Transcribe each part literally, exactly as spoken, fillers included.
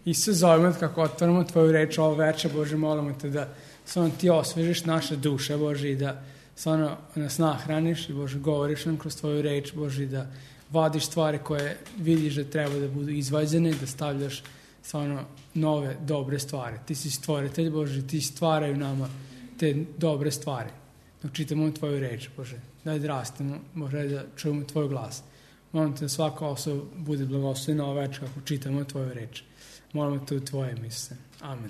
I sve zovemo kako otvaramo Tvoju reč ovo veče, Bože, molimo Te da stvarno Ti osvežiš naše duše, Bože, i da stvarno nas nahraniš i, Bože, govoriš nam kroz Tvoju reč, Bože, i da vadiš stvari koje vidiš da treba da budu izvađene i da stavljaš stvarno nove, dobre stvari. Ti si stvoritelj, Bože, Ti stvaraju nama te dobre stvari. Dok čitamo Tvoju reč, Bože, daj da rastemo, Bože, da čujemo Tvoj glas. Molim Te da svaka osoba bude blagoslovena ova večer kako čitamo Tvoju reč. Molimo Te u Tvoje Isuse. Amen.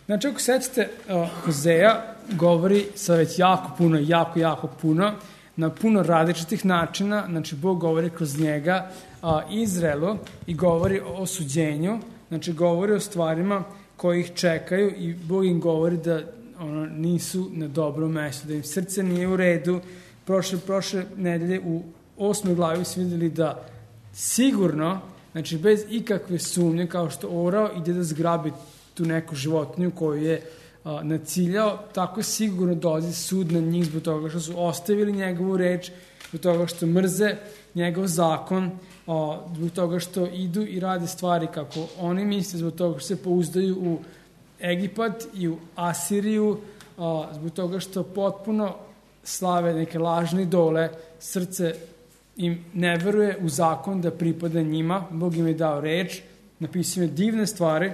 Znači, ako sećate, uh, Hozeja govori sa već jako puno, jako, jako puno, na puno različitih načina. Znači, Bog govori kroz njega uh, Izraelu i govori o osuđenju, znači govori o stvarima koji ih čekaju i Bog im govori da ono, nisu na dobrom mestu, da im srce nije u redu. Prošle, prošle nedelje u osmoj glavi su vidjeli da sigurno, znači bez ikakve sumnje, kao što orao ide da zgrabi tu neku životinju koju je a, naciljao, tako sigurno dolazi sud na njih zbog toga što su ostavili njegovu reč, zbog toga što mrze njegov zakon, a, zbog toga što idu i rade stvari kako oni misle, zbog toga što se pouzdaju u Egipat i u Asiriju, a, zbog toga što potpuno slave neke lažne idole, srce im ne veruje u zakon da pripada njima. Bog im je dao reč, napisao je divne stvari,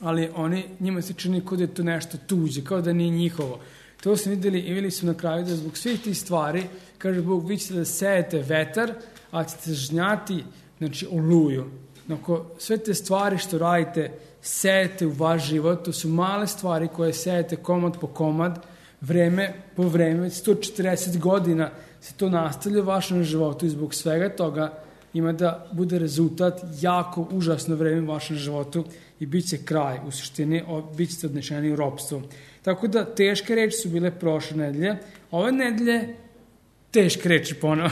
ali oni, njima se čini kao da je to nešto tuđe, kao da nije njihovo. To su vidjeli i vidjeli su na kraju da zbog svih tih stvari, kaže Bog, vi ćete da sejete vetar, a ćete žnjati, znači, oluju. Ako sve te stvari što radite, sejete u vaš život, to su male stvari koje sejete komad po komad, vreme po vreme, sto četrdeset godina se to nastavlja u vašem životu i zbog svega toga ima da bude rezultat jako užasno vreme u vašem životu i bit će kraj, u suštini bit ćete odnešeni u ropstvo. Tako da teške reči su bile prošle nedelje, ove nedelje teške reči ponovo.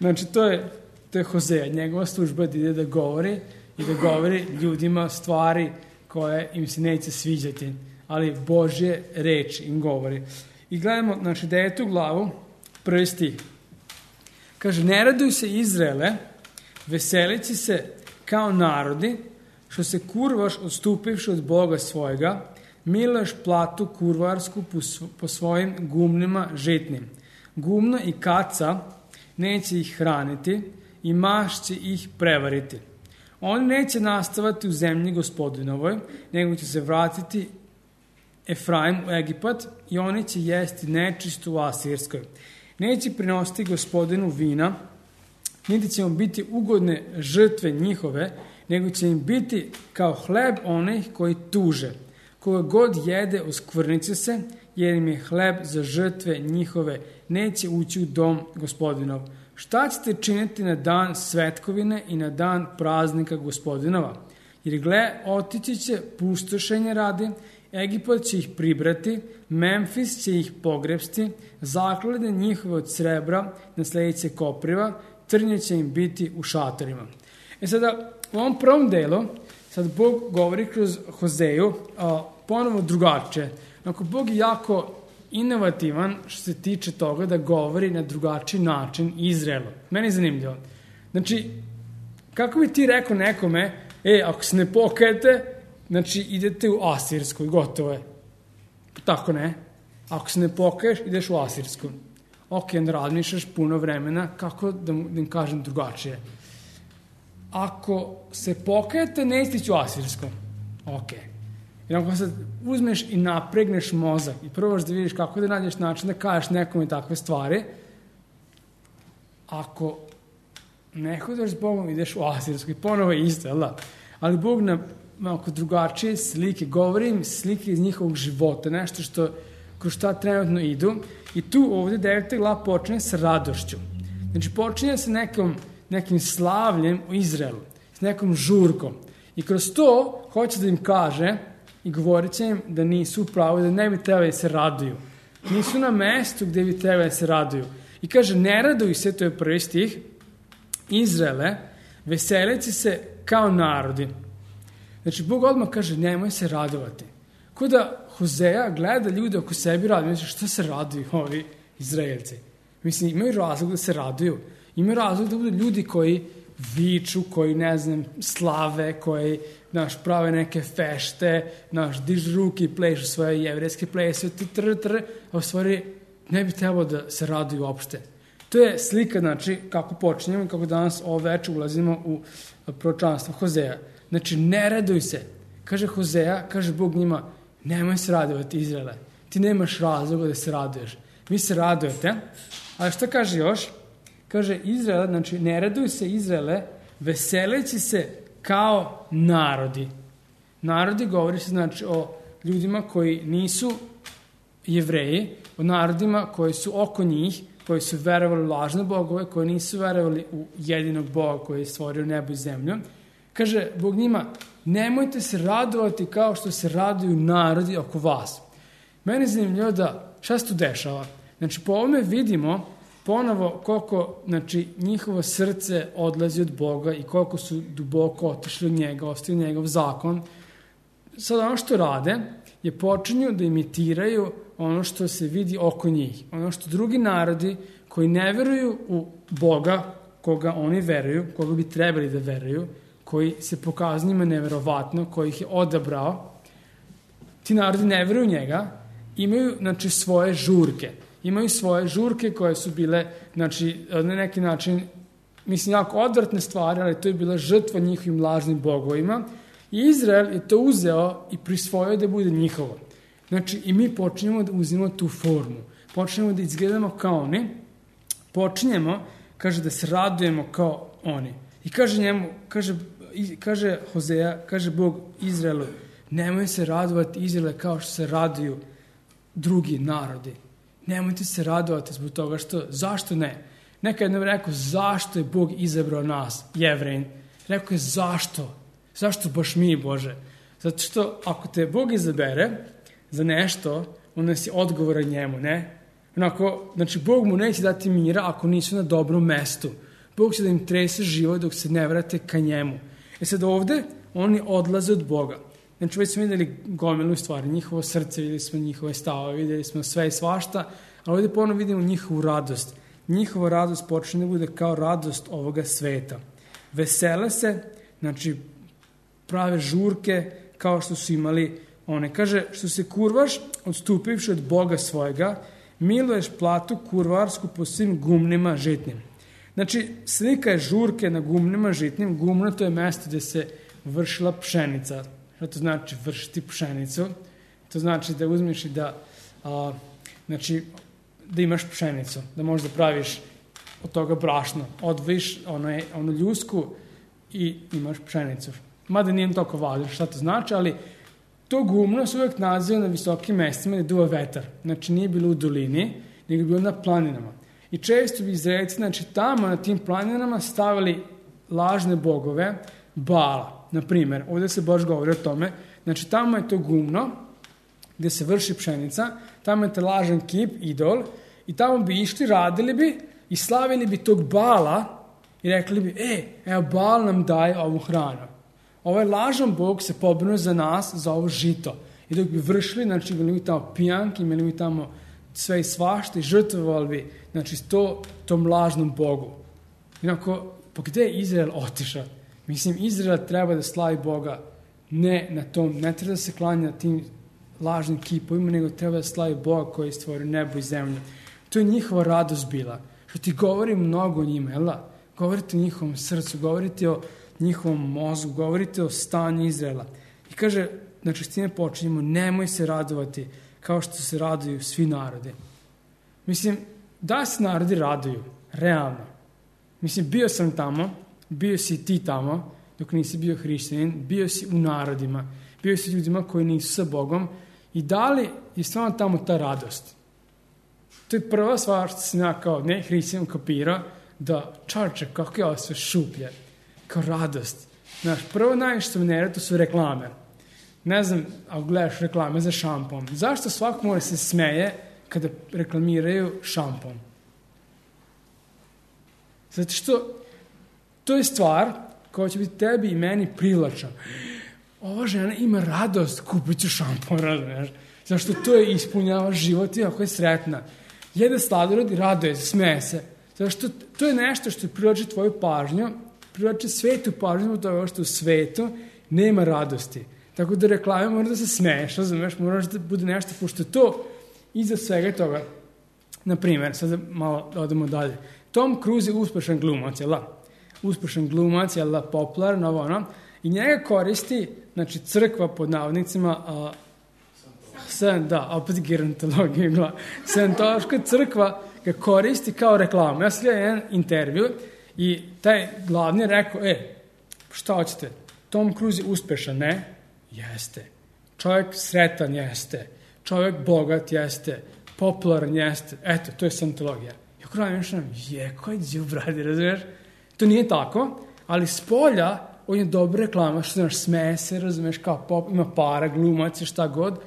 Znači to je, to je Hozeja, njegova služba da ide da govori i da govori ljudima stvari koje im se neće sviđati, ali Božje reči im govori. I gledamo, znači, devetu glavu, prvi stih. Kaže, ne raduj se Izraele, veselići se kao narodi, što se kurvaš odstupivši od Boga svojega, miluješ platu kurvarsku po svojim gumnima žitnim. Gumno i kaca neće ih hraniti i maš će ih prevariti. Oni neće nastavati u zemlji Gospodinovoj, nego će se vratiti Efraim u Egipat i oni će jesti nečisto u Asirskoj. Neće prinositi Gospodinu vina, niti će mu biti ugodne žrtve njihove, nego će im biti kao hleb onih koji tuže. Koga god jede, oskvrniće se, jer im je hleb za žrtve njihove, neće ući u dom Gospodinov. Šta ćete činiti na dan svetkovine i na dan praznika Gospodinova? Jer gle, otići će pustošenje radi, Egipat će ih pribrati, Memfis će ih pogrebsti, zaklade njihove od srebra na sljedeće kopriva, trnje će im biti u šatorima. E sada, u ovom prvom delu, sad Bog govori kroz Hozeju, a, ponovo drugačije. Ako Bog je jako inovativan što se tiče toga da govori na drugačiji način Izraelu. Meni je zanimljivo. Znači, kako bi ti rekao nekome, e, ako se ne pokajete, znači idete u Asirsku i gotovo je. Tako ne. Ako se ne pokaješ, ideš u Asirsku. Ok, onda razmišljaš puno vremena, kako da, da im kažem drugačije. Ako se pokajete, ne istići u Asirsku. Ok. I ako sad uzmeš i napregneš mozak i probaš da vidiš kako da nađeš način da kažeš nekome takve stvari, ako ne hodeš s Bogom, ideš u Asirsku i ponovo je isto, jel da? Ali Bog na malo drugačije slike, govorim slike iz njihovog života, nešto što kroz šta trenutno idu. I tu ovdje deveta glava počinje sa radošću. Znači počinje sa nekom, nekim slavljem u Izraelu, s nekom žurkom. I kroz to hoće da im kaže i govorit će im da nisu u pravu, da ne bi trebali da se raduju. Nisu na mestu gdje bi trebali da se raduju. I kaže, ne raduj se, to je prvi stih, Izraele, veselići se kao narodi. Znači, Bog odmah kaže, nemoj se radovati. Ko da Hozeja gleda ljude oko sebi radi, misli, šta se raduju ovi Izraelci? Mislim, imaju razlog da se raduju. Imaju razlog da budu ljudi koji viču, koji, ne znam, slave, koji, naš, prave neke fešte, naš, dižu ruke i plešu svoje jevrejske plese, tr, tr, a u stvari ne bi trebalo da se raduju uopšte. To je slika, znači, kako počinjemo i kako danas ovo večer ulazimo u proročanstvo Hozeja. Znači, ne raduj se. Kaže Hozeja, kaže Bog njima, nemoj se radovati, Izraele. Ti nemaš razloga da se raduješ. Vi se radujete, ali šta kaže još? Kaže Izraele, znači, ne raduj se, Izraele, veseleći se kao narodi. Narodi govori se, znači, o ljudima koji nisu Jevreji, o narodima koji su oko njih, koji su verovali u lažne bogove, koji nisu verovali u jedinog Boga koji je stvorio nebo i zemlju. Kaže Bog njima, nemojte se radovati kao što se raduju narodi oko vas. Meni je zanimljivo da šta se tu dešava. Znači, po ovome vidimo ponovo koliko, znači, njihovo srce odlazi od Boga i koliko su duboko otišli od njega, ostaju njegov zakon. Sad ono što rade je počinju da imitiraju ono što se vidi oko njih. Ono što drugi narodi koji ne veruju u Boga, koga oni veruju, koga bi trebali da veruju, koji se pokazuje njima neverovatno, koji ih je odabrao, ti narodi ne veruju njega, imaju, znači, svoje žurke. Imaju svoje žurke koje su bile, znači, na neki način, mislim, jako odvratne stvari, ali to je bila žrtva njihovim lažnim bogovima. I Izrael je to uzeo i prisvojio da bude njihovo. Znači, i mi počinjemo da uzimamo tu formu. Počinjemo da izgledamo kao oni. Počinjemo, kaže, da se radujemo kao oni. I kaže njemu, kaže, kaže Hozeja, kaže Bog Izraelu, nemoj se radovati, Izraele, kao što se raduju drugi narodi. Nemojte se radovati zbog toga što, zašto ne? Neka jednom rekao, zašto je Bog izabrao nas, Jevrejin? Rekao je, zašto? Zašto baš mi, Bože? Zato što ako te Bog izabere za nešto, onda si odgovoran njemu, ne? Onako, znači, Bog mu neće dati mira ako nisu na dobrom mestu. Bog će da im trese život dok se ne vrate ka njemu. E sad ovde, oni odlaze od Boga. Znači, već smo videli gomilu stvari, njihovo srce, videli smo njihove stavove, videli smo sve i svašta, ali ovde ponovno vidimo njihovu radost. Njihova radost počne da bude kao radost ovoga sveta. Vesele se, znači, prave žurke kao što su imali one. Kaže, što se kurvaš, odstupivši od Boga svojega, miluješ platu kurvarsku po svim gumnima žitnim. Znači, slika je žurke na gumnima žitnim. Gumno to je mesto gde se vršila pšenica. Što to znači vršiti pšenicu? To znači da uzmeš i da, a, znači, da imaš pšenicu, da možeš da praviš od toga brašno. Odvojiš ono, ono ljusku i imaš pšenicu. Mada nije toliko važno šta to znači, ali to gumno se uvek naziva na visokim mestima gde duva vetar. Znači, nije bilo u dolini, nego je bilo na planinama. I često bi Izraelci, znači, tamo na tim planinama stavili lažne bogove, Bala. Na primjer, ovdje se baš govori o tome, znači, tamo je to gumno gde se vrši pšenica, tamo je te lažan kip, idol, i tamo bi išli, radili bi i slavili bi tog Bala i rekli bi, e, evo, Bal nam daje ovu hranu. Ovaj lažan Bog se pobrinuo za nas, za ovo žito. I dok bi vršili, znači, imali mi tamo pijanki, imali mi tamo sve i svašta i žrtvovali bi, znači, to, tom lažnom Bogu. Inako, pa gde je Izrael otišao? Mislim, Izrael treba da slavi Boga ne na tom, ne treba da se klanja na tim lažnim kipovima, nego treba da slavi Boga koji je stvorio nebo i zemlju. To je njihova radost bila. Što ti govori mnogo o njima, jel da? Govorite o njihovom srcu, govorite o njihovom mozgu, govorite o stanju Izraela. I kaže, znači, s time počinjemo, nemoj se radovati kao što se raduju svi narodi. Mislim, da se narodi raduju, realno. Mislim, bio sam tamo, bio si ti tamo, dok nisi bio hrišćanin, bio si u narodima, bio si ljudima koji nisu sa Bogom i da li je stvarno tamo ta radost? To je prva stvar što sam ja kao ne hrišćanin kapirao, da čarče, kako je ovo sve šuplje, kao radost. Znaš, prvo najviše što me nereda, to su reklame. Ne znam, ako gledaš reklame za šampon, zašto svako mora se smeje kada reklamiraju šampon? Zato što to je stvar koja će biti tebi i meni privlačna. Ova žena ima radost, kupit ću šampon, razumiješ? Zašto to je ispunjava život i ako je sretna. Jede sladoled i raduje se, smeje se. Zato što to je nešto što privlači tvoju pažnju, privlače svetu pažnju zbog toga što u svetu nema radosti. Tako da reklame mora da se smeješ, razumeš, moraš da bude nešto, pošto to iza svega toga, na primjer, sad malo odemo dalje, Tom Cruise je uspešan glumac, jel da? Uspešan glumac, jel da, popularan, ovo ono, i njega koristi, znači, crkva pod navodnicima, a, sen, da, opet gerontologija, scientološka crkva ga koristi kao reklamu. Ja sam gledao jedan intervju i taj glavni je rekao, e, šta hoćete, Tom Cruise je uspešan, ne? Jeste. Čovjek sretan, jeste. Čovjek bogat, jeste. Popularan, jeste. Eto, to je scientologija. Ja kada mišljam, je, koji đubradi, razumiješ? To nije tako, ali s polja on je dobra reklama, što znaš, smeje se, razumiješ, kao pop, ima para, glumac, šta god.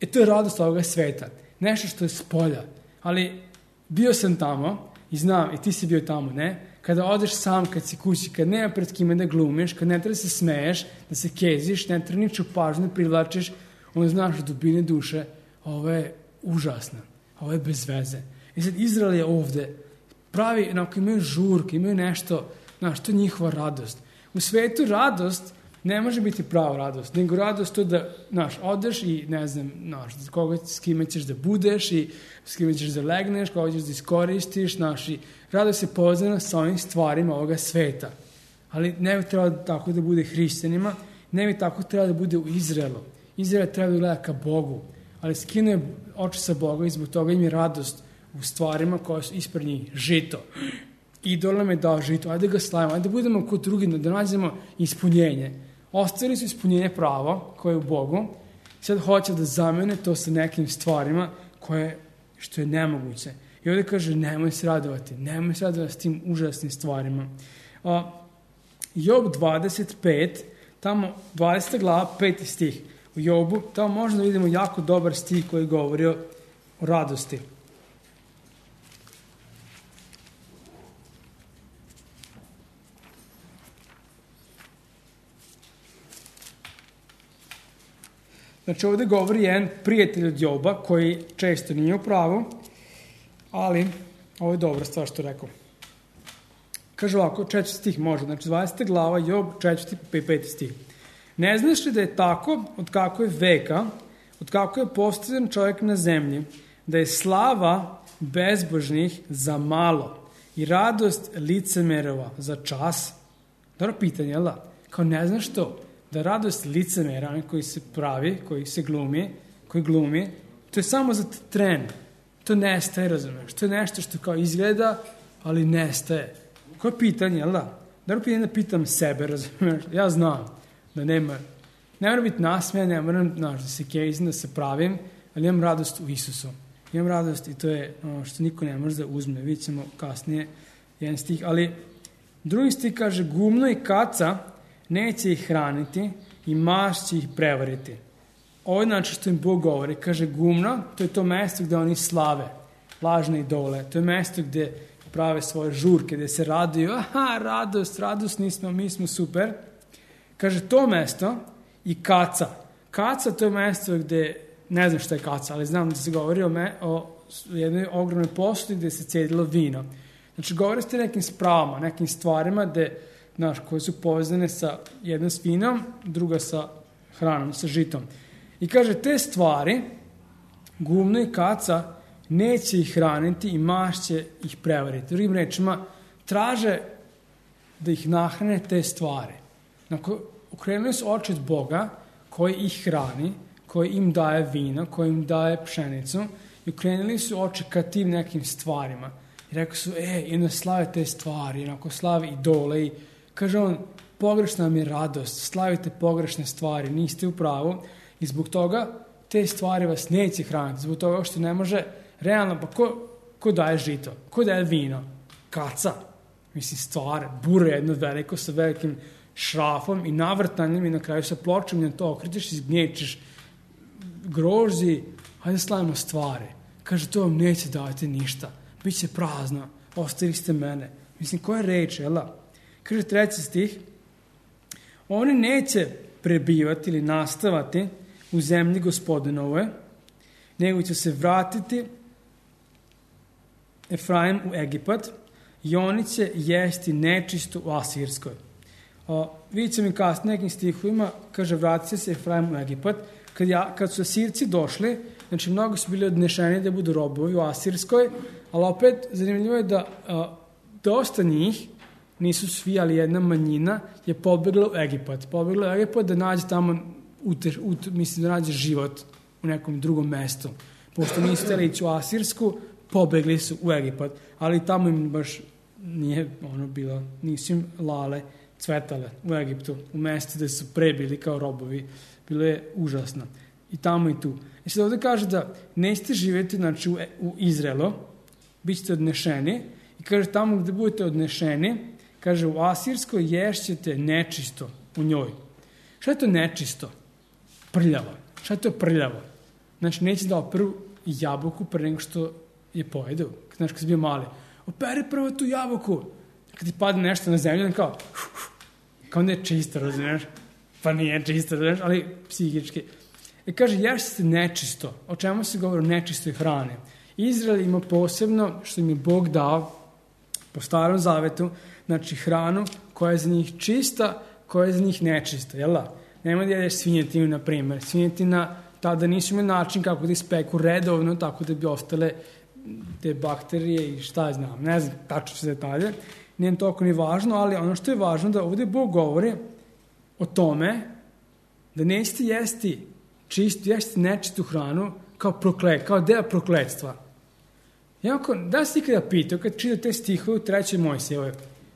E, to je radost ovoga sveta. Nešto što je s polja. Ali bio sam tamo i znam, i ti si bio tamo, ne? Kada odeš sam, kad si kući, kad nema pred kime da glumiš, kad ne treba da se smeješ, da se keziš, ne treba niču pažnju da privlačiš, onda znaš u dubine duše, ovo je užasno, ovo je bez veze. I sad Izrael je ovde, pravi, onako imaju žurke, imaju nešto, znaš, to je njihova radost. U svetu radost ne može biti prava radost, nego radost to da, znaš, odeš i, ne znam, znaš, koga, s kime ćeš da budeš i s kime ćeš da legneš, koga ćeš da iskoristiš, znaš, i radost je povezana sa ovim stvarima ovoga sveta. Ali ne bi trebalo tako da bude hrišćanima, ne bi tako trebalo da bude u Izraelu. Izrael treba da gleda ka Bogu, ali skinuje oči sa Boga i zbog toga im je radost u stvarima koje su ispred njih. Žito. Idol nam je dao žito, ajde ga slavimo, ajde da budemo kod drugi, da nađemo ispunjenje. Ostavili su ispunjenje pravo koje je u Bogu, sad hoće da zamene to sa nekim stvarima koje, što je nemoguće. I ovdje kaže, nemoj se radovati, nemoj se radovati s tim užasnim stvarima. A, Job dvadeset pet, tamo dvadeseta glava, peti stih u Jobu, tamo možda vidimo jako dobar stih koji govori o radosti. Znači ovdje govori jedan prijatelj od Joba koji često nije u pravu, ali ovo je dobra stvar što rekao. Kaže ovako, četvrti stih može, znači dvadeseta glava, Job, četvrti i peti stih. Ne znaš li da je tako, od kako je veka, od kako je postavljen čovjek na zemlji, da je slava bezbožnih za malo i radost licemerova za čas? Dobro pitanje, jel da? Kao ne znaš to? Da radost licemera, onaj koji se pravi, koji se glumi, koji glumi, to je samo za tren. To nestaje, razumeš? To je nešto što kao izgleda, ali nestaje. Koje pitanje, jel da? Dobro pitanje da pitam sebe, razumeš? Ja znam da nema, ne moram biti nasmejan, ne moram, znaš, da se kejzim, da se pravim, ali imam radost u Isusu. Imam radost i to je ono što niko ne može da uzme. Vidjet ćemo kasnije jedan stih, ali drugi stih kaže, gumno i kaca neće ih hraniti i maš će ih prevariti. Ovo je znači što im Bog govori. Kaže gumno, to je to mesto gde oni slave, lažne idole. To je mesto gde prave svoje žurke, gde se raduju. Aha, radost, radosni smo, mi smo super. Kaže to mesto i kaca. Kaca to je mesto gde, ne znam što je kaca, ali znam da se govori o, me, o jednoj ogromnoj posudi gde se cedilo vino. Znači govori ste nekim spravama, nekim stvarima gde, znaš, koje su povezane sa jedna s vinom, druga sa hranom, sa žitom. I kaže, te stvari, gumno i kaca, neće ih hraniti i maš će ih prevariti. Drugim rečima, traže da ih nahrane te stvari. Dakle, okrenuli su oči od Boga, koji ih hrani, koji im daje vino, koji im daje pšenicu, i okrenuli su oči ka tim nekim stvarima. I rekao su, e, i onda slave te stvari, onako slave idole i kaže on, pogrešna vam je radost, slavite pogrešne stvari, niste u pravu i zbog toga te stvari vas neće hraniti, zbog toga što ne može, realno, pa ko, ko daje žito, ko daje vino? Kaca, mislim stvar, bure jedno veliko sa velikim šrafom i navrtanjem i na kraju sa pločom na to okrećeš i zgnječeš grožđi, hajde slavimo stvari. Kaže, to vam neće davati ništa, bit će prazno, ostavili ste mene. Mislim, koja je reč, jel da? Kaže treći stih, oni neće prebivati ili nastavati u zemlji Gospodinove, nego će se vratiti Efraim u Egipat i oni će jesti nečisto u Asirskoj. O, vidjet će mi kasnije nekim stihovima, kaže, vratit će se Efraim u Egipat. Kad, ja, kad su Asirci došli, znači mnogo su bili odnešeni da budu robovi u Asirskoj, ali opet zanimljivo je da a, dosta njih, nisu svi, ali jedna manjina, je pobegla u Egipat. Pobegla u Egipat da nađe tamo, ute, ute, mislim da nađe život u nekom drugom mestu. Pošto nisu htjeli ići u Asirsku, pobegli su u Egipat. Ali tamo im baš nije ono bilo, nisu im lale cvetale u Egiptu, u mestu gde su pre bili kao robovi. Bilo je užasno. I tamo i tu. I sad ovdje kaže da nećete živjeti, znači, u, u Izraelu, bit ćete odnešeni, i kaže tamo gde budete odnešeni, kaže u Asirskoj ješćete nečisto u njoj. Šta je to nečisto? Prljavo. Šta je to prljavo? Znači, neće da operu jabuku pre nego što je pojedu. Znači, kad si bio mali, operi prvo tu jabuku. Kad ti padne nešto na zemlju, kao, kao ne je čisto, razumiješ? Pa nije čisto, razumiješ, ali psihički. I kaže, ješćete nečisto. O čemu se govori o nečistoj hrani? Izrael ima posebno, što im je Bog dao, po starom zavetu, znači hranu koja je za njih čista, koja je za njih nečista, jel da? Nema da jedeš svinjetinu, na primjer. Svinjetina tada nisu imali način kako da ispeku redovno, tako da bi ostale te bakterije i šta znam, ne znam tačno sve detalje. Nije toliko ni važno, ali ono što je važno da ovdje Bog govori o tome da nećete jesti čistu, jesti nečistu hranu kao proklet, kao deo prokletstva. Jako, da si ikada pitao, kad čita te stihove u trećoj Mojsijevoj,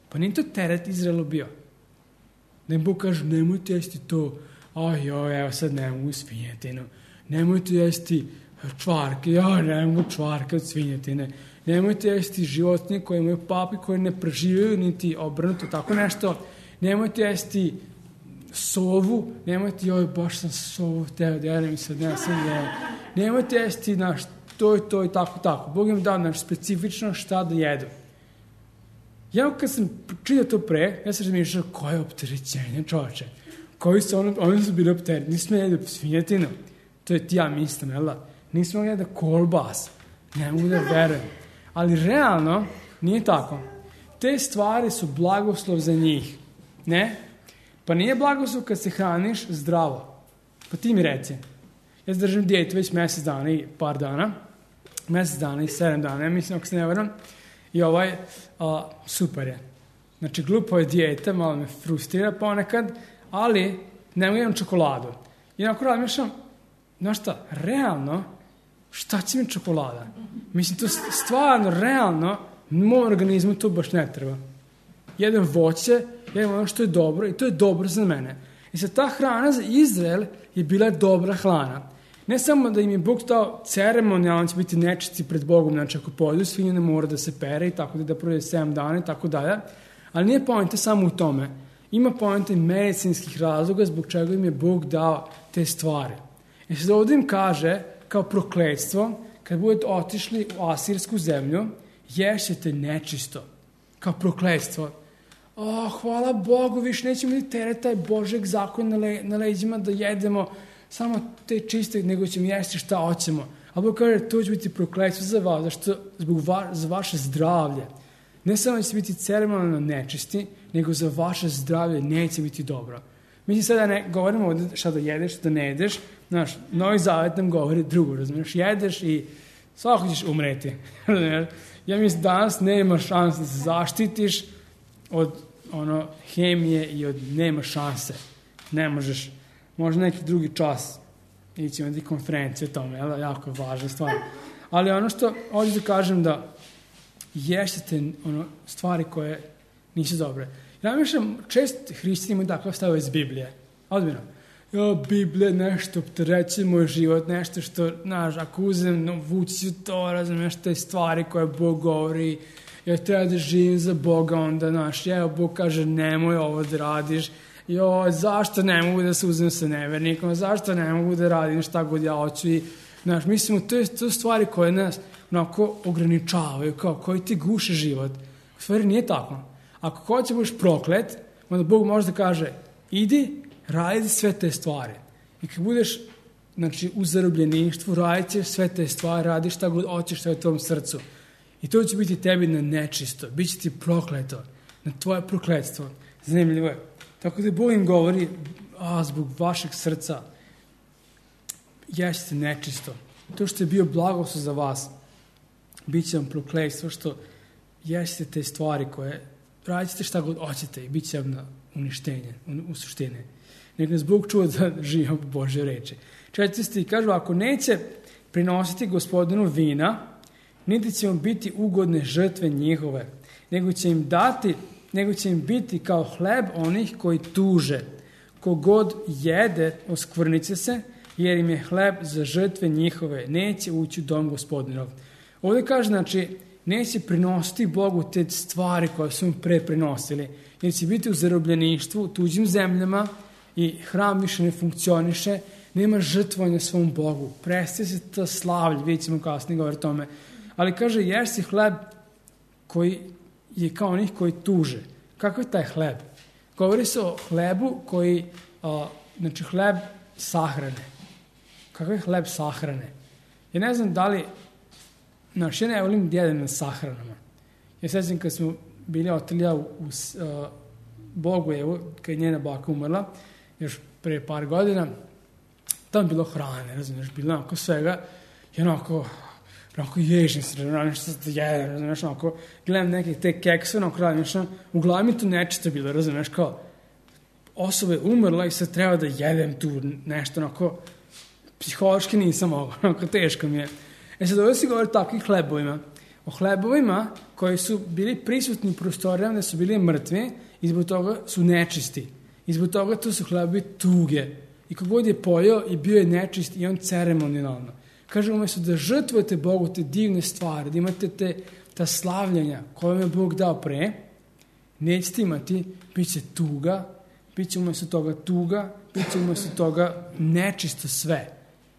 pa nije to teret Izraelu bio. Da im Bog kaže, nemojte jesti to, aj, joj, evo sad ne mogu svinjetinu, nemojte jesti čvarke, joj, ne mogu čvarke od svinjetine, nemojte jesti životinje koje imaju papi, koje ne preživaju, niti obrnuto, tako nešto, nemojte jesti sovu, nemojte, joj, baš sam sovu teo da jedem i sad ne sam jeo, nemojte jesti naš to i to i tako, tako. Bog im dao naš specifično šta da jedu. Ja kad sam čitao to pre, ja sam razmišljao koje opterećenje, čoveče. Koji su oni, oni su bili opterećeni. Nismo jedi svinjetinu. To je ti ja mislim, jel da? Nismo jedi kolbas. Ne mogu da verujem. Ali realno nije tako. Te stvari su blagoslov za njih. Ne? Pa nije blagoslov kad se hraniš zdravo. Pa ti mi reci. Ja držim dijetu već mjesec dana i par dana. Mjesec dana i sedam dana, ja mislim, ako se ne varam. I ovaj, a, super je. Znači, glupo je dijeta, malo me frustrira ponekad, ali ne mogu imam čokoladu. I onako razmišljam, znaš šta, realno, šta će mi čokolada? Mislim, to stvarno, realno, moj organizmu to baš ne treba. Jedan voće, jedan ono što je dobro i to je dobro za mene. I sad ta hrana za Izrael je bila dobra hrana. Ne samo da im je Bog dao ceremonijalno će biti nečisti pred Bogom, znači ako pojedu svinju ne mora da se pere i tako da da prođe sedam dana i tako dalje, ali nije poenta samo u tome. Ima poenta i medicinskih razloga zbog čega im je Bog dao te stvari. I sad ovdje im kaže, kao prokletstvo, kad budete otišli u asirsku zemlju, ješćete nečisto, kao prokletstvo. O, hvala Bogu, više nećemo li teret taj Božeg zakon na, le, na leđima da jedemo samo te čiste, nego ćemo jesti šta hoćemo. A Bog kaže, to će biti prokletstvo za vas, zašto zbog va, za vaše zdravlje. Ne samo će biti ceremonijalno nečisti, nego za vaše zdravlje neće biti dobro. Mislim, sada ne govorimo ovdje šta da jedeš, šta da ne jedeš. Znaš, Novi Zavet nam govori drugo, razumiješ, jedeš i svako ćeš umreti. Ja mislim, danas nema šanse da se zaštitiš od ono hemije i od nema šanse. Ne možeš, možda neki drugi čas ići na konferencije o tome, jel? Jako je važna stvar. Ali ono što ovdje da kažem da ješćete ono, stvari koje nisu dobre. Ja mislim, čest hrišćani imaju takav stav iz Biblije. Odmjeno. Ja, Biblija nešto opterećuje moj život, nešto što, znaš, ako uzem, no, vući to, razumiješ, te stvari koje Bog govori, ja treba da živim za Boga, onda, znaš, evo, Bog kaže, nemoj ovo da radiš, jo, zašto ne mogu da se uzem sa nevernikom, zašto ne mogu da radim šta god ja hoću i, znaš, mislimo, to je to stvari koje nas, onako, ograničavaju, kao, koji ti guše život. U stvari nije tako. Ako hoće budeš proklet, onda Bog može da kaže, idi, radi sve te stvari. I kad budeš, znači, u zarobljeništvu, radit ćeš sve te stvari, radiš šta god hoćeš, šta je u tvom srcu. I to će biti tebi na nečisto, bit će ti prokleto, na tvoje prokletstvo. Zanimljivo je. Tako da Bog im govori, a zbog vašeg srca jeste nečisto. To što je bio blagoslov za vas, bit će vam prokletstvo što jeste te stvari koje radite šta god hoćete i bit će vam na uništenje, u suštine. Nek nas Bog čuva da živimo po Božje reči. Četvrti kažu, ako neće prinositi Gospodinu vina, niti će vam biti ugodne žrtve njihove, nego će im dati, nego će im biti kao hleb onih koji tuže. Kogod jede, oskvrnice se, jer im je hleb za žrtve njihove, neće ući u dom Gospodinov. Ovdje kaže, znači, neće prinositi Bogu te stvari koje su im pre prinosili, jer će biti u zarobljeništvu, u tuđim zemljama i hram više ne funkcioniše, nema žrtvovanja svom Bogu. Prestaje se to slavlje, vidjet ćemo kasnije govori o tome. Ali kaže, jesi hleb koji je kao onih koji tuže. Kako je taj hleb? Govori se o hlebu koji, a, znači hleb sahrane. Kako je hleb sahrane? Ja ne znam da li, znači ja ne volim da jedem na sahranama. Ja sećam kad smo bili otelja u, u a, Bogojevu, kad je njena baka umrla, još pre par godina, tamo bilo hrane, razumiješ, bilo onako svega, i onako, onako ježim se, nešto da jedem, razumiješ, onako, gledam neke te kekse, onako radim, nešto, uglavnom mi tu nečisto bilo, razumiješ, kao, osoba je umrla i sad treba da jedem tu nešto, onako, psihološki nisam mogao, onako, teško mi je. E sad, ovdje se govori o takvim hlebovima, o hlebovima koji su bili prisutni u prostorijama, da su bili mrtvi i zbog toga su nečisti. I zbog toga to su hlebovi tuge. I kogod je pojeo i bio je nečist i on ceremonijalno. Kaže, umjesto da žrtvujete Bogu te divne stvari, da imate te, ta slavljenja koje vam je Bog dao pre, nećete imati, bit će tuga, bit će umjesto toga tuga, bit će umjesto toga nečisto sve.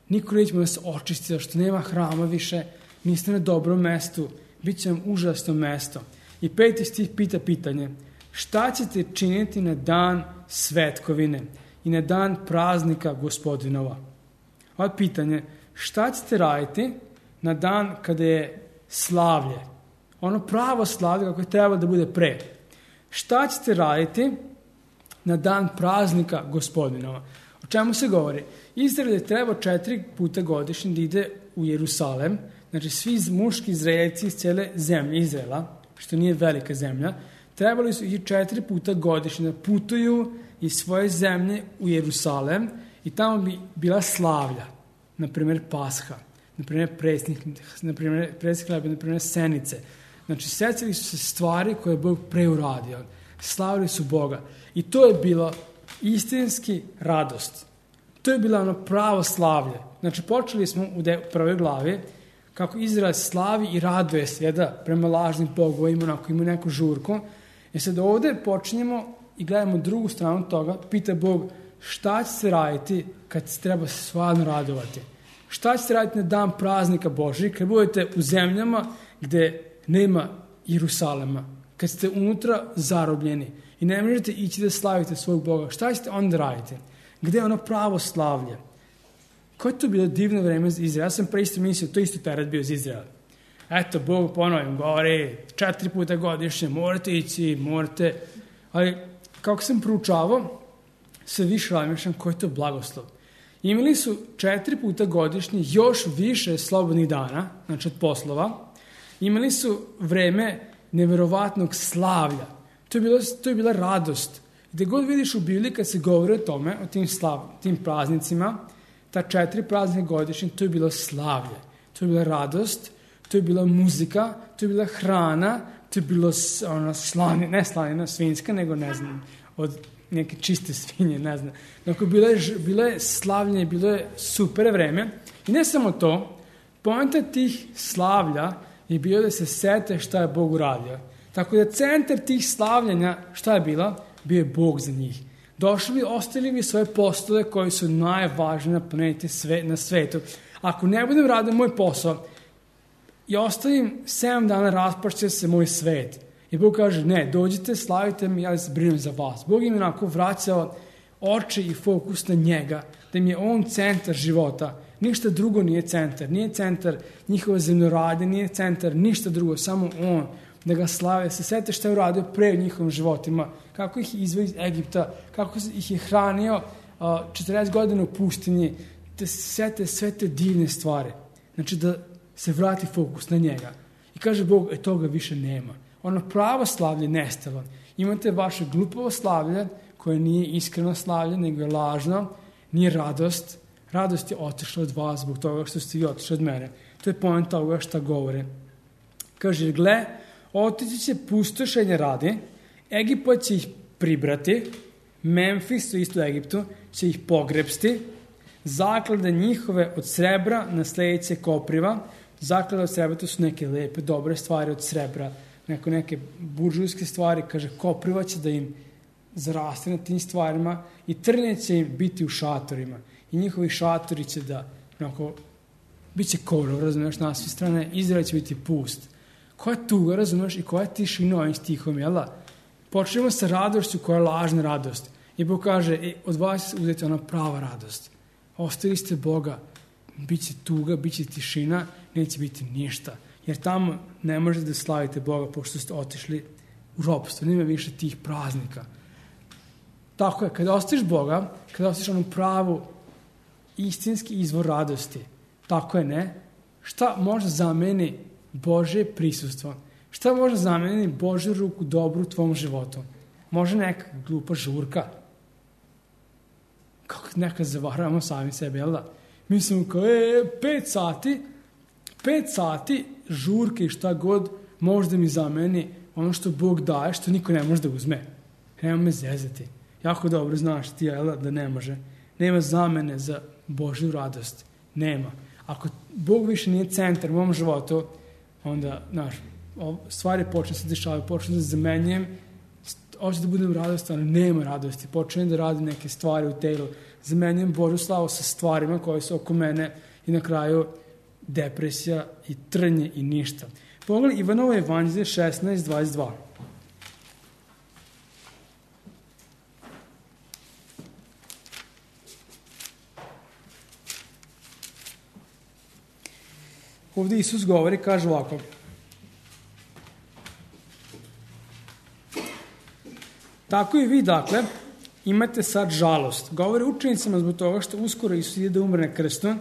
Niko neće da se očisti, zašto nema hrama više, niste na dobrom mestu, bit će vam užasno mesto. I peti stih pita pitanje, šta ćete činiti na dan svetkovine i na dan praznika Gospodinova? Ovo je pitanje, šta ćete raditi na dan kada je slavlje? Ono pravo slavlje kako je trebalo da bude pre. Šta ćete raditi na dan praznika Gospodinova? O čemu se govori? Izrael je trebao četiri puta godišnje da ide u Jerusalem, znači svi muški Izraelci iz cijele zemlje Izraela, što nije velika zemlja, trebali su i četiri puta godišnje da putuju iz svoje zemlje u Jerusalem i tamo bi bila slavlja, na primjer Pasha, na primjer presnih, na primjer presnih hleba, na primjer senice. Znači, secili su se stvari koje je Bog preuradio. Slavili su Boga. I to je bilo istinski radost. To je bilo ono pravo slavlje. Znači, počeli smo u prvoj glavi kako Izrael slavi i raduje se da prema lažnim bogovima, onako ima neku žurku. I sad ovdje počinjemo i gledamo drugu stranu toga, pita Bog šta će se raditi kad se treba stvarno radovati. Šta će se raditi na dan praznika Božji, kad budete u zemljama gdje nema Jerusalema, kad ste unutra zarobljeni i ne možete ići da slavite svog Boga. Šta ćete onda raditi? Gdje je ono pravo slavlje? Koje je to bilo divno vreme za Izrael? Ja sam pre isto mislio, to isto teret bio za Izrael. Eto, Bog ponovim, govori, četiri puta godišnje, morate ići, morate. Ali, kako sam proučavao, sve više razmišljam koji je to blagoslov. Imali su četiri puta godišnje još više slobodnih dana, znači od poslova. Imali su vreme neverovatnog slavlja. To je, bilo, to je bila radost. Gde god vidiš u Bibliji kad se govori o tome, o tim, slav, tim praznicima, ta četiri praznika godišnje, to je bilo slavlje. To je bila radost, to je bila muzika, to je bila hrana, to je bilo ono, slani, ne slanina svinjska, nego ne znam, od neke čiste svinje, ne znam. Dakle, bilo je, bilo je slavljenje, bilo je super vreme. I ne samo to, poenta tih slavlja je bio da se sete šta je Bog uradio. Tako da centar tih slavljenja, šta je bila? Bio je Bog za njih. Došli bi, ostavili bi svoje poslove koji su najvažniji na planeti sve, na svetu. Ako ne budem radio moj posao i ostavim sedam dana, raspašće se moj svet. I Bog kaže, ne, dođite, slavite mi, ja se brinem za vas. Bog im onako vraćao oči i fokus na njega, da im je on centar života. Ništa drugo nije centar. Nije centar njihova zemljoradnja, nije centar ništa drugo, samo on. Da ga slave. Se sjete što je uradio pre u njihovim životima. Kako ih izveo iz Egipta. Kako ih je hranio četrdeset godina u pustinji. Da se sjete sve te divne stvari. Znači da se vrati fokus na njega. I kaže Bog, e toga više nema. Ono pravo slavlje nestalo. Imate vaše glupavo slavlje koje nije iskreno slavlje, nego je lažno. Nije radost. Radost je otišla od vas zbog toga što ste vi otišli od mene. To je point toga što govore. Kaže, gle, otići će pustošenje radi, Egipat će ih pribrati, Memfis, to isto u Egiptu, će ih pogrebsti, zaklade njihove od srebra na sledeće kopriva, zaklade od srebra, to su neke lepe, dobre stvari od srebra, neko neke buržujske stvari, kaže, kopriva će da im zaraste na tim stvarima i trnje će im biti u šatorima i njihovi šatori će da, onako, bit će korov, razumiješ, na sve strane, Izrael će biti pust. Koja tuga, razumiješ, i koja tišina ovim stihom, jel da? Počnemo sa radošću koja je lažna radost. I Bog kaže, e, od vas uzeti ona prava radost. Ostavili ste Boga, bit će tuga, bit će tišina, neće biti ništa. Jer tamo ne možete da slavite Boga pošto ste otišli u ropstvo. Nema više tih praznika. Tako je, kada ostaviš Boga, kada ostaviš onu pravu istinski izvor radosti, tako je, ne? Šta može zameni Božje prisustvo? Šta može zameniti Božju ruku dobru u tvom životu? Može neka glupa žurka. Kako nekad zavaravamo sami sebe, jel da? Mislimo kao, e, pet sati, pet sati žurke i šta god može da mi zameni ono što Bog daje, što niko ne može da uzme. Nema me zezati. Jako dobro znaš ti, jel da, da ne može. Nema zamene za Božju radost. Nema. Ako Bog više nije centar u mom životu, onda, znaš, stvari počne se dešavaju, počne da zamenjujem, hoću da budem radostan, ali nema radosti, počnem da radim neke stvari u telu, zamenjujem Božju slavu sa stvarima koje su oko mene i na kraju depresija i trnje i ništa. Pogledaj Ivanovo evanđelje šesnaest dvadeset dva. Ovdje Isus govori, kaže ovako. Tako i vi, dakle, imate sad žalost. Govore učenicama zbog toga što uskoro Isus ide da umre na krstu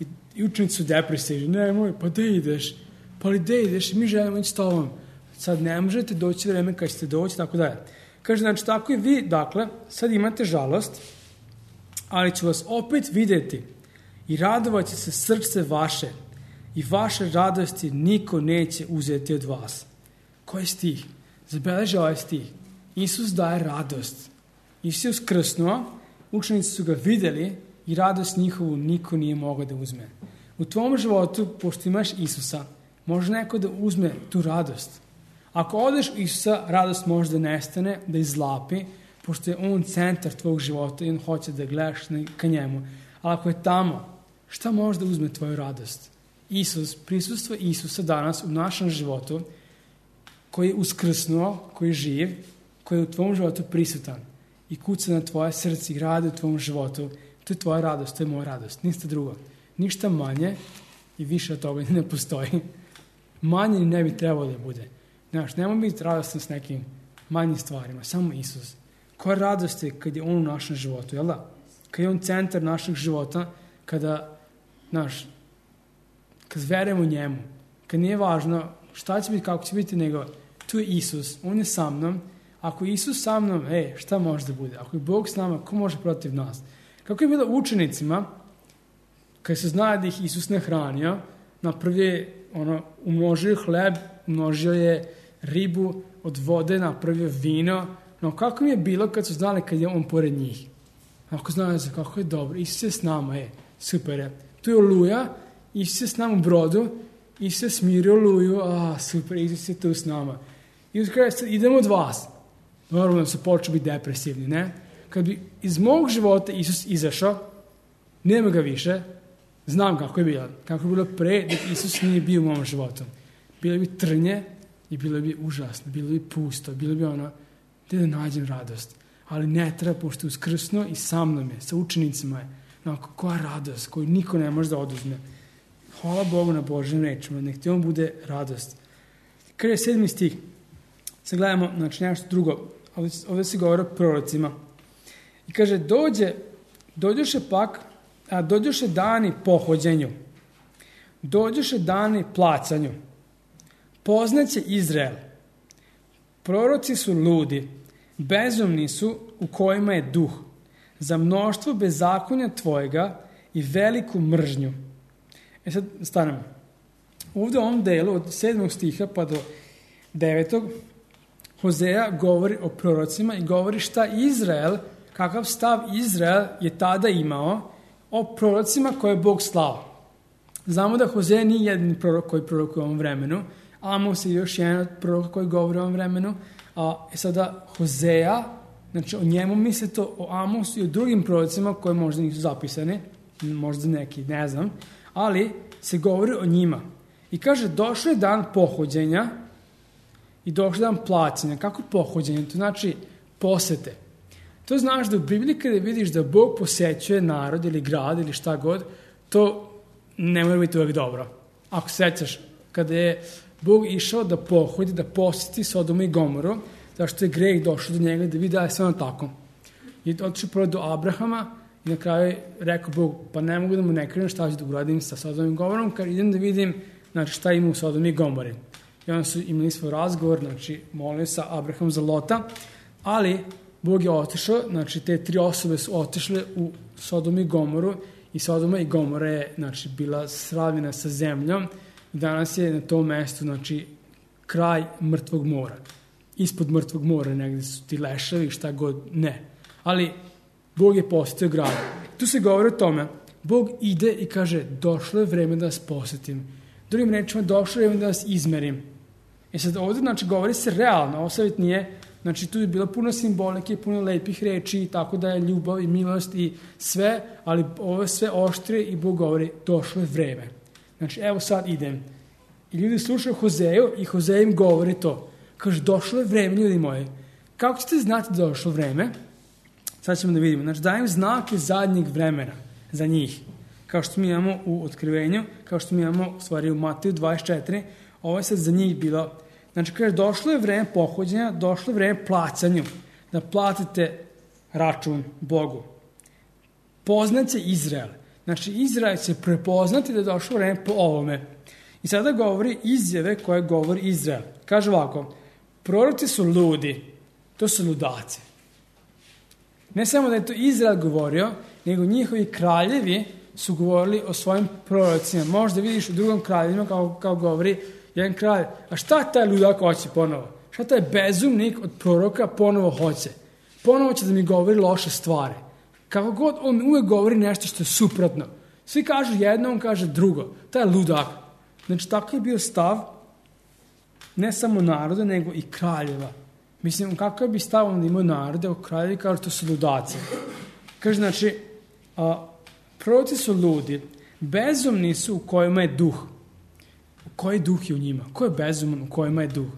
i, i učenici su depresivni. Nemoj, pa gde ideš? Pa li gde ideš? Mi želimo ići s tobom. Sad ne možete doći vreme kad ćete doći, tako da je. Kaže, znači, tako i vi, dakle, sad imate žalost, ali ću vas opet videti i radovat će se srce vaše i vaše radosti niko neće uzeti od vas. Koji stih? Zabeleži ovaj stih. Isus daje radost. Isus je uskrsnuo, učenici su ga videli i radost njihovu niko nije mogao da uzme. U tvom životu, pošto imaš Isusa, može neko da uzme tu radost. Ako odeš u Isusa, radost može da nestane, da izlapi, pošto je on centar tvojeg života i on hoće da gledaš ka njemu. Ali ako je tamo, šta može da uzme tvoju radost? Isus, prisustvo Isusa danas u našem životu, koji je uskrsnuo, koji je živ, koji je u tvom životu prisutan i kuca na tvoje srce i radi u tvom životu, to je tvoja radost, to je moja radost, ništa drugo. Ništa manje i više od toga ne postoji. Manje ne bi trebalo da bude. Znaš, nemoj biti radostan s nekim manjim stvarima, samo Isus. Koja radost je kad je on u našem životu, jel da? Kad je on centar našeg života, kada, znaš, kad verujemo njemu, kad nije važno šta će biti, kako će biti, nego tu je Isus, on je sa mnom. Ako je Isus sa mnom, ej, šta može da bude? Ako je Bog s nama, ko može protiv nas? Kako je bilo učenicima, kad se zna da ih Isus ne hranio, napravio je, ono, umnožio je hleb, umnožio je ribu od vode, napravio vino. No, kako mi je bilo kad su znali kad je on pored njih? Ako znaju se kako je dobro, Isus je s nama, ej, super je. Tu je oluja, Isus je s nama u brodu, Isus je smirio oluju, a, super, Isus je tu s nama. Isus kaže, idemo od vas. Normalno da su počeli biti depresivni, ne? Kad bi iz mog života Isus izašao, nema ga više, znam kako je bilo. Kako je bilo pre, da Isus nije bio u mom životu. Bilo bi trnje i bilo bi užasno, bilo bi pusto, bilo bi ono, gdje da nađem radost. Ali ne treba, pošto je uskrsnuo i sa mnom je, sa učenicima je. onako, koja radost koju niko ne može da oduzme. Hvala Bogu na Božim rečima, nek ti on bude radost. Kada je sedmi stih, sad gledamo, znači nešto drugo, ovdje, ovdje se govori o prorocima. I kaže, dođe, dođoše pak, a dođoše dani pohođenju, dođoše dani placanju, poznaće Izrael. Proroci su ludi, bezumni su u kojima je duh, za mnoštvo bezakonja tvojega i veliku mržnju. E sad stanemo. Ovdje u ovom delu od sedmog stiha pa do devetog Hozeja govori o prorocima i govori šta Izrael, kakav stav Izrael je tada imao o prorocima koje je Bog slao. Znamo da Hozeja nije jedini prorok koji prorokuje u ovom vremenu, Amos je još jedan od proroka koji govori o ovom vremenu, a sada Hozeja, znači o njemu mislite o Amosu i o drugim prorocima koji možda nisu zapisani, možda neki, ne znam, ali se govori o njima. I kaže, došao je dan pohođenja i došao je dan plaćanja. Kako pohođenje? To znači posete. To znaš da u Bibliji kada vidiš da Bog posećuje narod ili grad ili šta god, to ne mora biti uvijek dobro. Ako sećaš, kada je Bog išao da pohodi, da poseti Sodomu i Gomoru, zašto je greh došao do njega da vidi da je sve ono tako. I otišao prvo do Abrahama i na kraju je rekao Bog, pa ne mogu da mu ne krenem šta ću da uradim sa Sodomom i Gomorom, kad idem da vidim znači, šta ima u Sodomu i Gomori. I onda su imali svoj razgovor, znači molio sa Abraham za Lota, ali Bog je otišao, znači te tri osobe su otišle u Sodomu i Gomoru i Sodoma i Gomora je znači, bila sravnjena sa zemljom i danas je na tom mestu znači, kraj mrtvog mora. Ispod mrtvog mora negdje su ti leševi, šta god, ne. Ali Bog je posjetio grad. Tu se govori o tome, Bog ide i kaže, došlo je vreme da vas posjetim. Drugim rečima, došlo je vreme da vas izmerim. I sad ovdje, znači, govori se realno, ovo savjet nije, znači, tu je bilo puno simbolike, puno lepih reči, tako da je ljubav i milost i sve, ali ovo je sve oštrije i Bog govori, došlo je vreme. Znači, evo sad idem. I ljudi slušaju Hozeju i Hozej im govori to. Kaže, došlo je vreme, ljudi moji. Kako ćete znati da došlo vreme? Sad ćemo da vidimo. Znači, dajem znake zadnjeg vremena za njih. Kao što mi imamo u Otkrivenju, kao što mi imamo u stvari u Mateju dvadeset četiri, ovo je sad za njih bilo. Znači, kaže, došlo je vreme pohođenja, došlo je vreme placanju, da platite račun Bogu. Poznaće Izrael. Znači, Izrael će prepoznati da je došlo vreme po ovome. I sada govori izjave koje govori Izrael. Kaže ovako, proroci su ludi, to su ludaci. Ne samo da je to Izrael govorio, nego njihovi kraljevi su govorili o svojim prorocima. Možda vidiš u drugom kraljevima kao, kao govori jedan kralj, a šta taj ludak hoće ponovo? Šta taj bezumnik od proroka ponovo hoće? Ponovo će da mi govori loše stvari. Kako god, on uvijek govori nešto što je suprotno. Svi kažu jedno, on kaže drugo. Taj je ludak. Znači, tako je bio stav ne samo naroda, nego i kraljeva. Mislim, kakav bi stav onda imao narode, o kraljevi kažu to su ludaci. Kaže, znači, a, proroci su ludi, bezumni su u kojima je duh. Koji duh je u njima? Ko je bezuman u kojima je duh?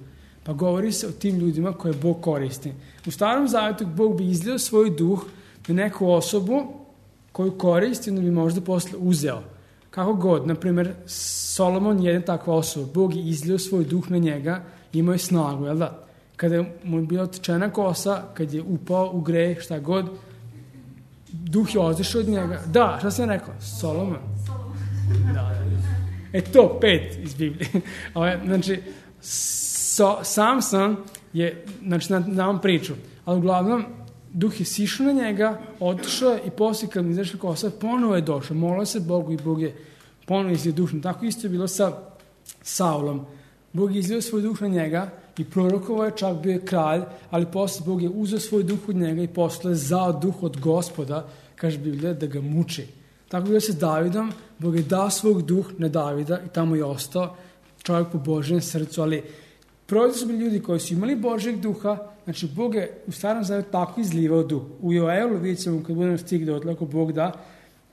Pa govori se o tim ljudima koje Bog koristi. U Starom Zavjetu Bog bi izlio svoj duh na neku osobu koju koristi, onda bi možda posle uzeo. Kako god, na primjer, Solomon je jedna takva osoba. Bog je izlio svoj duh na njega i imao je snagu, jel da? Kada mu je bila otečena kosa, kad je upao u greh, šta god, duh je otišao od njega. Da, šta sam rekao? Solomon? Da, da. E to, pet iz Biblije. Znači, so, Samson je, znači, na ovom priču, ali uglavnom, duh je sišao na njega, otišao je i poslije kad mi izašla kosa, ponovo je došao, molio se Bogu i Bog je ponovo izlio duh. Tako isto je bilo sa Saulom. Bog je izlio svoj duh na njega i prorokovao je, čak bio je kralj, ali poslije Bog je uzeo svoj duh od njega i poslije je zao duh od Gospoda, kaže Biblija, da ga muči. Tako je bilo sa Davidom, Bog je dao svog duh na Davida i tamo je ostao čovjek po Božjem srcu, ali proroci su bili ljudi koji su imali Božjeg duha, znači Bog je u Starom Zavjetu tako izlivao duh. U Joelu, vidjet ćemo kad budemo stigli dotle, ako Bog da,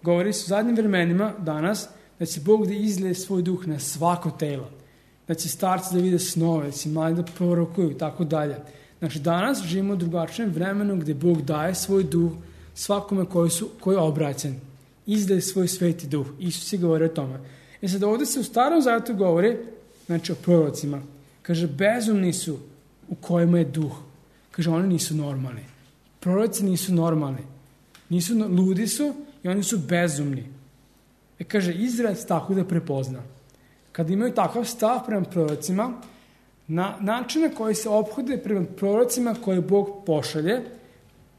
govori se u zadnjim vremenima danas da će Bog da izlije svoj duh na svako telo, da će starci da vide snove, da će mladi da prorokuju i tako dalje. Znači danas živimo u drugačijem vremenu gdje Bog daje svoj duh svakome koji, su, koji je obraćen. izdaje svoj sveti duh. Isus je govorio o tome. E sad ovdje se u Starom Zavjetu govori, znači o prorocima. Kaže, bezumni su u kojima je duh. Kaže, oni nisu normalni. Proroci nisu normalni. Nisu, ludi su i oni su bezumni. E kaže, Izrael tako da prepozna. Kad imaju takav stav prema prorocima, na način na koji se ophode prema prorocima koje Bog pošalje,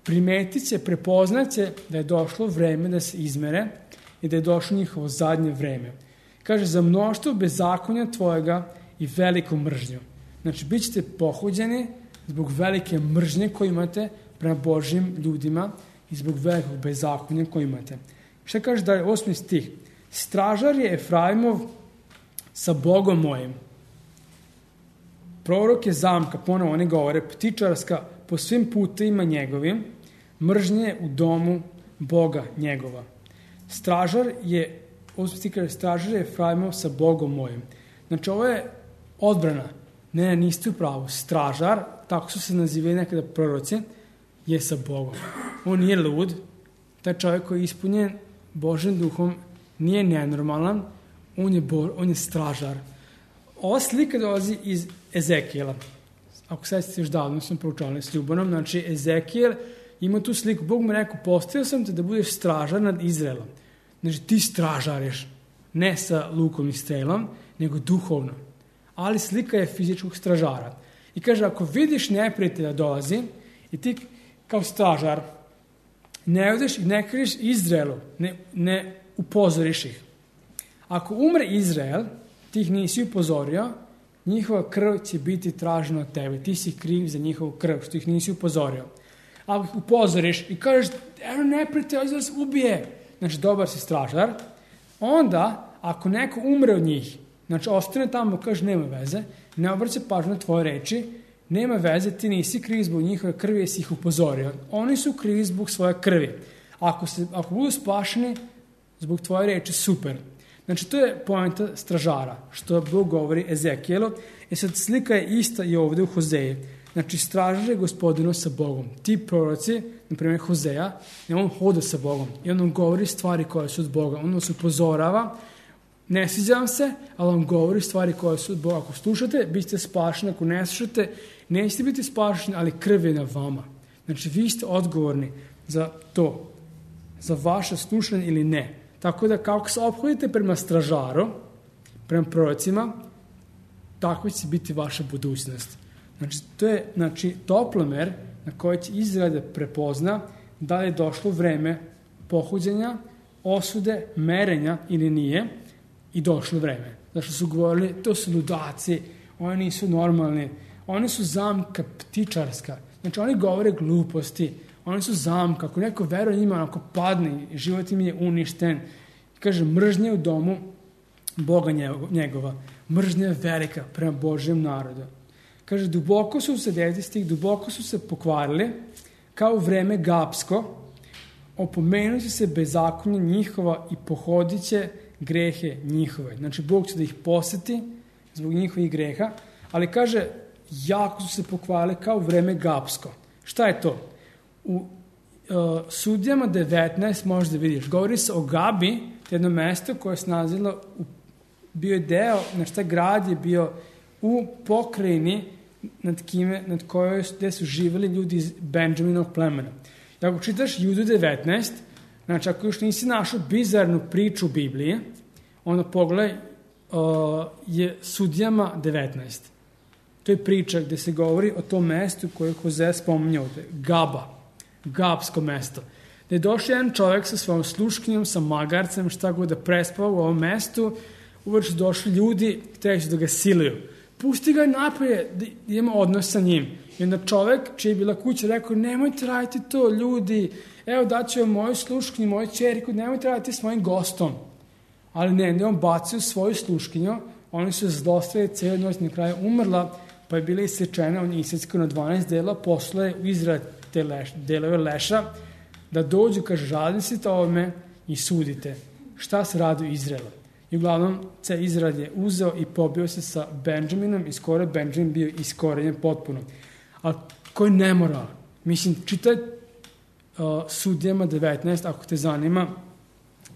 primetit će, prepoznat će da je došlo vreme da se izmere i da je došlo njihovo zadnje vreme. Kaže, za mnoštvo bezakonja tvojega i veliku mržnju. Znači, bit ćete pohođeni zbog velike mržnje koju imate prema Božjim ljudima i zbog velikog bezakonja koju imate. Šta kaže da je osmi stih? Stražar je Efraimov sa Bogom mojim. Prorok je zamka, ponovo oni govore, ptičarska po svim putevima njegovim, mržnje u domu Boga njegova. Stražar je, osmi stih kaže, stražar je Efraimov sa Bogom mojim. Znači, ovo je odbrana. Ne, niste u pravu. Stražar, tako su se nazivali nekada proroci, je sa Bogom. On nije lud. Taj čovjek koji je ispunjen Božjim duhom nije nenormalan. On je, bo, on je stražar. Ova slika dolazi iz Ezekijela. Ako sad ste još davno sam proučavali s Ljubanom, znači Ezekijel ima tu sliku. Bog mu rekao, postavio sam te da budeš stražar nad Izraelom. Znači ti stražariš, ne sa lukom i strelom, nego duhovno. Ali slika je fizičkog stražara. I kaže, ako vidiš neprijatelja dolazi i ti kao stražar ne odeš i ne kažeš Izraelu, ne, ne upozoriš ih. Ako umre Izrael, ti ih nisi upozorio, njihova krv će biti tražena od tebe. Ti si kriv za njihovu krv, što ih nisi upozorio. Ako ih upozoriš i kažeš, evo neprijatelj, ovdje vas ubije, znači dobar si stražar, onda, ako neko umre od njih, znači ostane tamo, kaže, nema veze, ne obraća pažnju na tvoje reči, nema veze, ti nisi kriv zbog njihove krvi, jesi ih upozorio. Oni su krivi zbog svoje krvi. Ako, se, ako budu spašeni zbog tvoje reči, super. Znači, to je poenta stražara, što Bog govori Ezekijelu. E sad, slika je ista i ovdje u Hozeji. Znači, stražar je gospodinu sa Bogom. Ti proroci, na primjer Hozeja, on hoda sa Bogom i on nam govori stvari koje su od Boga. On nas upozorava, ne sviđam se, ali on govori stvari koje su od Boga. Ako slušate, bit ćete spašeni. Ako ne slušate, nećete biti spašeni, ali krv je na vama. Znači, vi ste odgovorni za to, za vaše slušanje ili ne. Tako da, kako se ophodite prema stražaru, prema prorocima, tako će biti vaša budućnost. Znači, to je znači, toplomer na koji će Izrael da prepozna da li je došlo vreme pohođenja, osude, merenja ili nije i došlo vreme. Zašto su govorili, to su ludaci, oni nisu normalni, oni su zamka ptičarska. Znači, oni govore gluposti, oni su zamka, ako neko veruje njima, ako padne, život im je uništen. Kaže, mržnje u domu Boga njegova. Mržnja je velika prema Božjem narodu. Kaže, duboko su se, deveti stih, duboko su se pokvarili, kao u vreme Gapsko, opomenući se bezakonje njihova i pohodit će grehe njihove. Znači, Bog će da ih poseti zbog njihovih greha, ali kaže, jako su se pokvarili kao u vreme Gapsko. Šta je to? U uh, Sudijama devetnaest možda vidiš, govori se o Gabi, jedno mesto koje se nalazilo, u, bio je deo, znači taj grad je bio u pokrajini nad, kime, nad kojoj gde su živjeli ljudi iz Benjaminovog plemena. I ako čitaš Judu devetnaest, znači ako još nisi našao bizarnu priču u Bibliji, onda pogledaj uh, je Sudijama devetnaest. To je priča gde se govori o tom mestu koje je Hozea spominjao ovde, Gaba, Gapsko mesto. Da je došao jedan čovjek sa svojom sluškinjom, sa magarcem, šta god da prespava u ovom mestu, uvek su došli ljudi, htjeli su da ga siluju. Pusti ga napolje, da ima odnos sa njim. I onda čovjek, čija je bila kuća, rekao, nemojte raditi to, ljudi, evo daću vam moju sluškinju, moju čeriku, nemojte raditi s mojim gostom. Ali ne, ne, on bacio svoju sluškinju, oni su zlostavili cijelu noć, na kraju umrla, pa je bila isečena, on je isečka na dvanaest dela, posle u Izrael te leš, delove leša, da dođu, kaže, žalite ovome i sudite. Šta se radi u Izraelu? I uglavnom, ceo Izrael je uzeo i pobio se sa Benjaminom i skoro je Benjamin bio iskorenjen potpuno. Ali koji nemoral? Mislim, čitaj uh, Sudijama devetnaest, ako te zanima,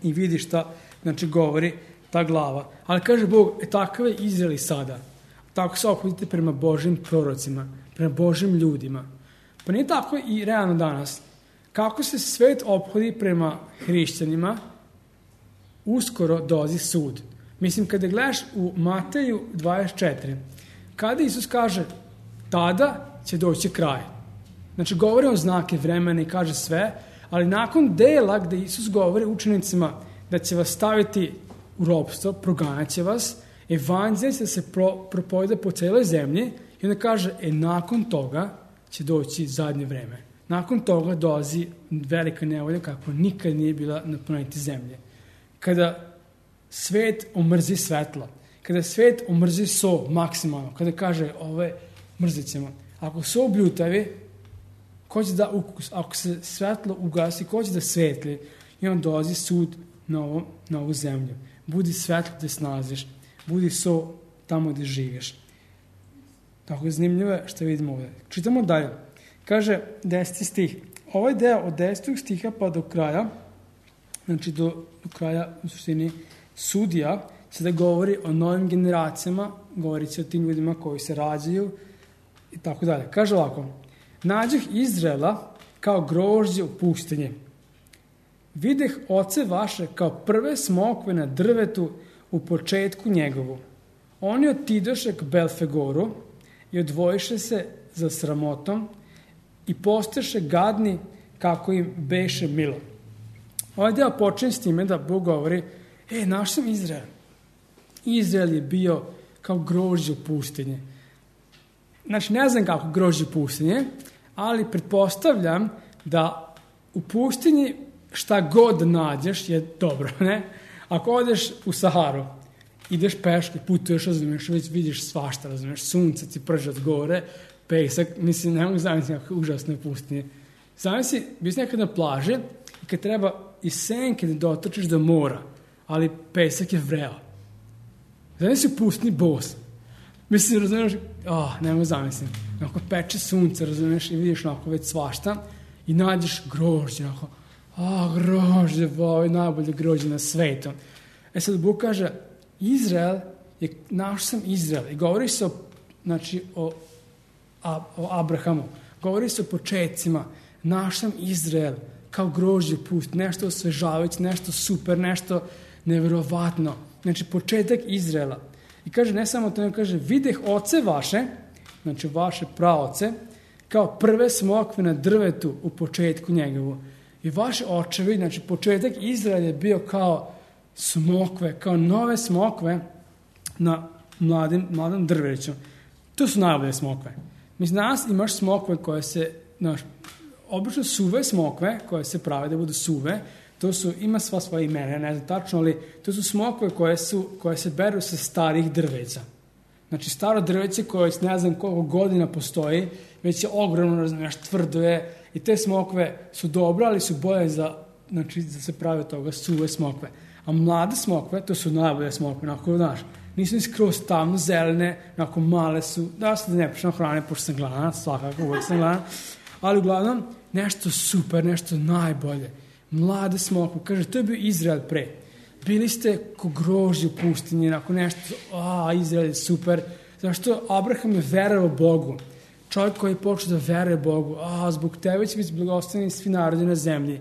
i vidi šta, znači, govori ta glava. Ali kaže Bog, e, takav je Izrael i sada. Tako se ophodite prema Božim prorocima, prema Božim ljudima. Pa nije tako i realno danas. Kako se svet ophodi prema hrišćanima, uskoro dolazi sud. Mislim, kada gledaš u Mateju dvadeset četiri, kada Isus kaže, tada će doći kraj. Znači, govori o znake vremena i kaže sve, ali nakon dela gde Isus govori učenicima da će vas staviti u ropstvo, proganjat će vas, evanđelje će se pro, propoveda po celoj zemlji i onda kaže, e, nakon toga će doći zadnje vreme. Nakon toga dolazi velika nevolja kako nikad nije bila na planeti zemlje. Kada svet omrzi svetlo, kada svet omrzi so maksimalno, kada kaže, ove mrzit ćemo. Ako so bljutavi, ko će da ukus, ako se svetlo ugasi, ko će da svetli, i on dolazi sud na, ovo, na ovu zemlju. Budi svetlo gde se nalaziš, budi so tamo gde živiš. Tako je zanimljivo što vidimo ovdje. Čitamo dalje. Kaže deseti stih. Ovaj deo od desetog stiha pa do kraja, znači do, do kraja u suštini sudija, se da govori o novim generacijama, govori se o tim ljudima koji se rađaju i tako dalje. Kaže ovako, nađeh Izraela kao grožđe u pustinji. Videh oce vaše kao prve smokve na drvetu u početku njegovu. Oni otidoše k Belfegoru i odvojiše se za sramotom i posteše gadni kako im beše milo. Ovaj deo počinje s time da Bog govori, e, naš sam Izrael. Izrael je bio kao grožđe u pustinji. Znači, ne znam kako grožđe u pustinji, ali pretpostavljam da u pustinji šta god nađeš je dobro, ne? Ako odeš u Saharu, ideš peške, putuješ, razumiješ, već vidiš svašta, razumiješ, sunce ti prže od gore, pesak, mislim, ne mogu zamisliti kako užasno je pustinje. Zamisli, bi si nekad na plaži i kad treba iz senke da dotrčiš do mora, ali pesak je vreo. Zamisli u pustinji bos. Mislim, razumiješ, oh, ne mogu zamisliti. Onako peče sunce, razumiješ, i vidiš onako već svašta i nađeš grožđe, onako, a, grožđe, ovo je najbolje grožđe na svetu. E sad Bog kaže, Izrael je, naš sam Izrael. I govori se o, znači, o, a, o Abrahamu. Govori se o početcima. Naš sam Izrael, kao grožđe pust, nešto osvežavajuće, nešto super, nešto neverovatno. Znači, početak Izraela. I kaže, ne samo to, kaže, videh oce vaše, znači vaše praoce, kao prve smokve na drvetu u početku njegovu. I vaši očevi, znači početak Izraela je bio kao smokve, kao nove smokve na mladim, mladom drveću. To su najbolje smokve. Mislim, danas imaš smokve koje se, znaš, obično suve smokve, koje se prave da budu suve, to su, ima sva svoje imena, ne znam tačno, ali to su smokve koje, su, koje se beru sa starih drveća. Znači, staro drveće koje ne znam koliko godina postoji, već je ogromno, razumiješ, tvrdo je, i te smokve su dobre, ali su bolje za, znači, da se prave toga suve smokve. A mlade smokve, to su najbolje smokve, onako, znaš, nisu ni skroz tamno zelene, onako male su, da se da ne pričam hrane, pošto sam gladan, svakako, uvijek sam gladan, ali uglavnom, nešto super, nešto najbolje. Mlade smokve, kaže, to je bio Izrael pre. Bili ste ko grožđe u pustinji, onako nešto, a, Izrael je super. Zašto Abraham je verovao Bogu. Čovjek koji je počeo da veruje Bogu, a, zbog tebe će biti blagosloveni svi narodi na zemlji.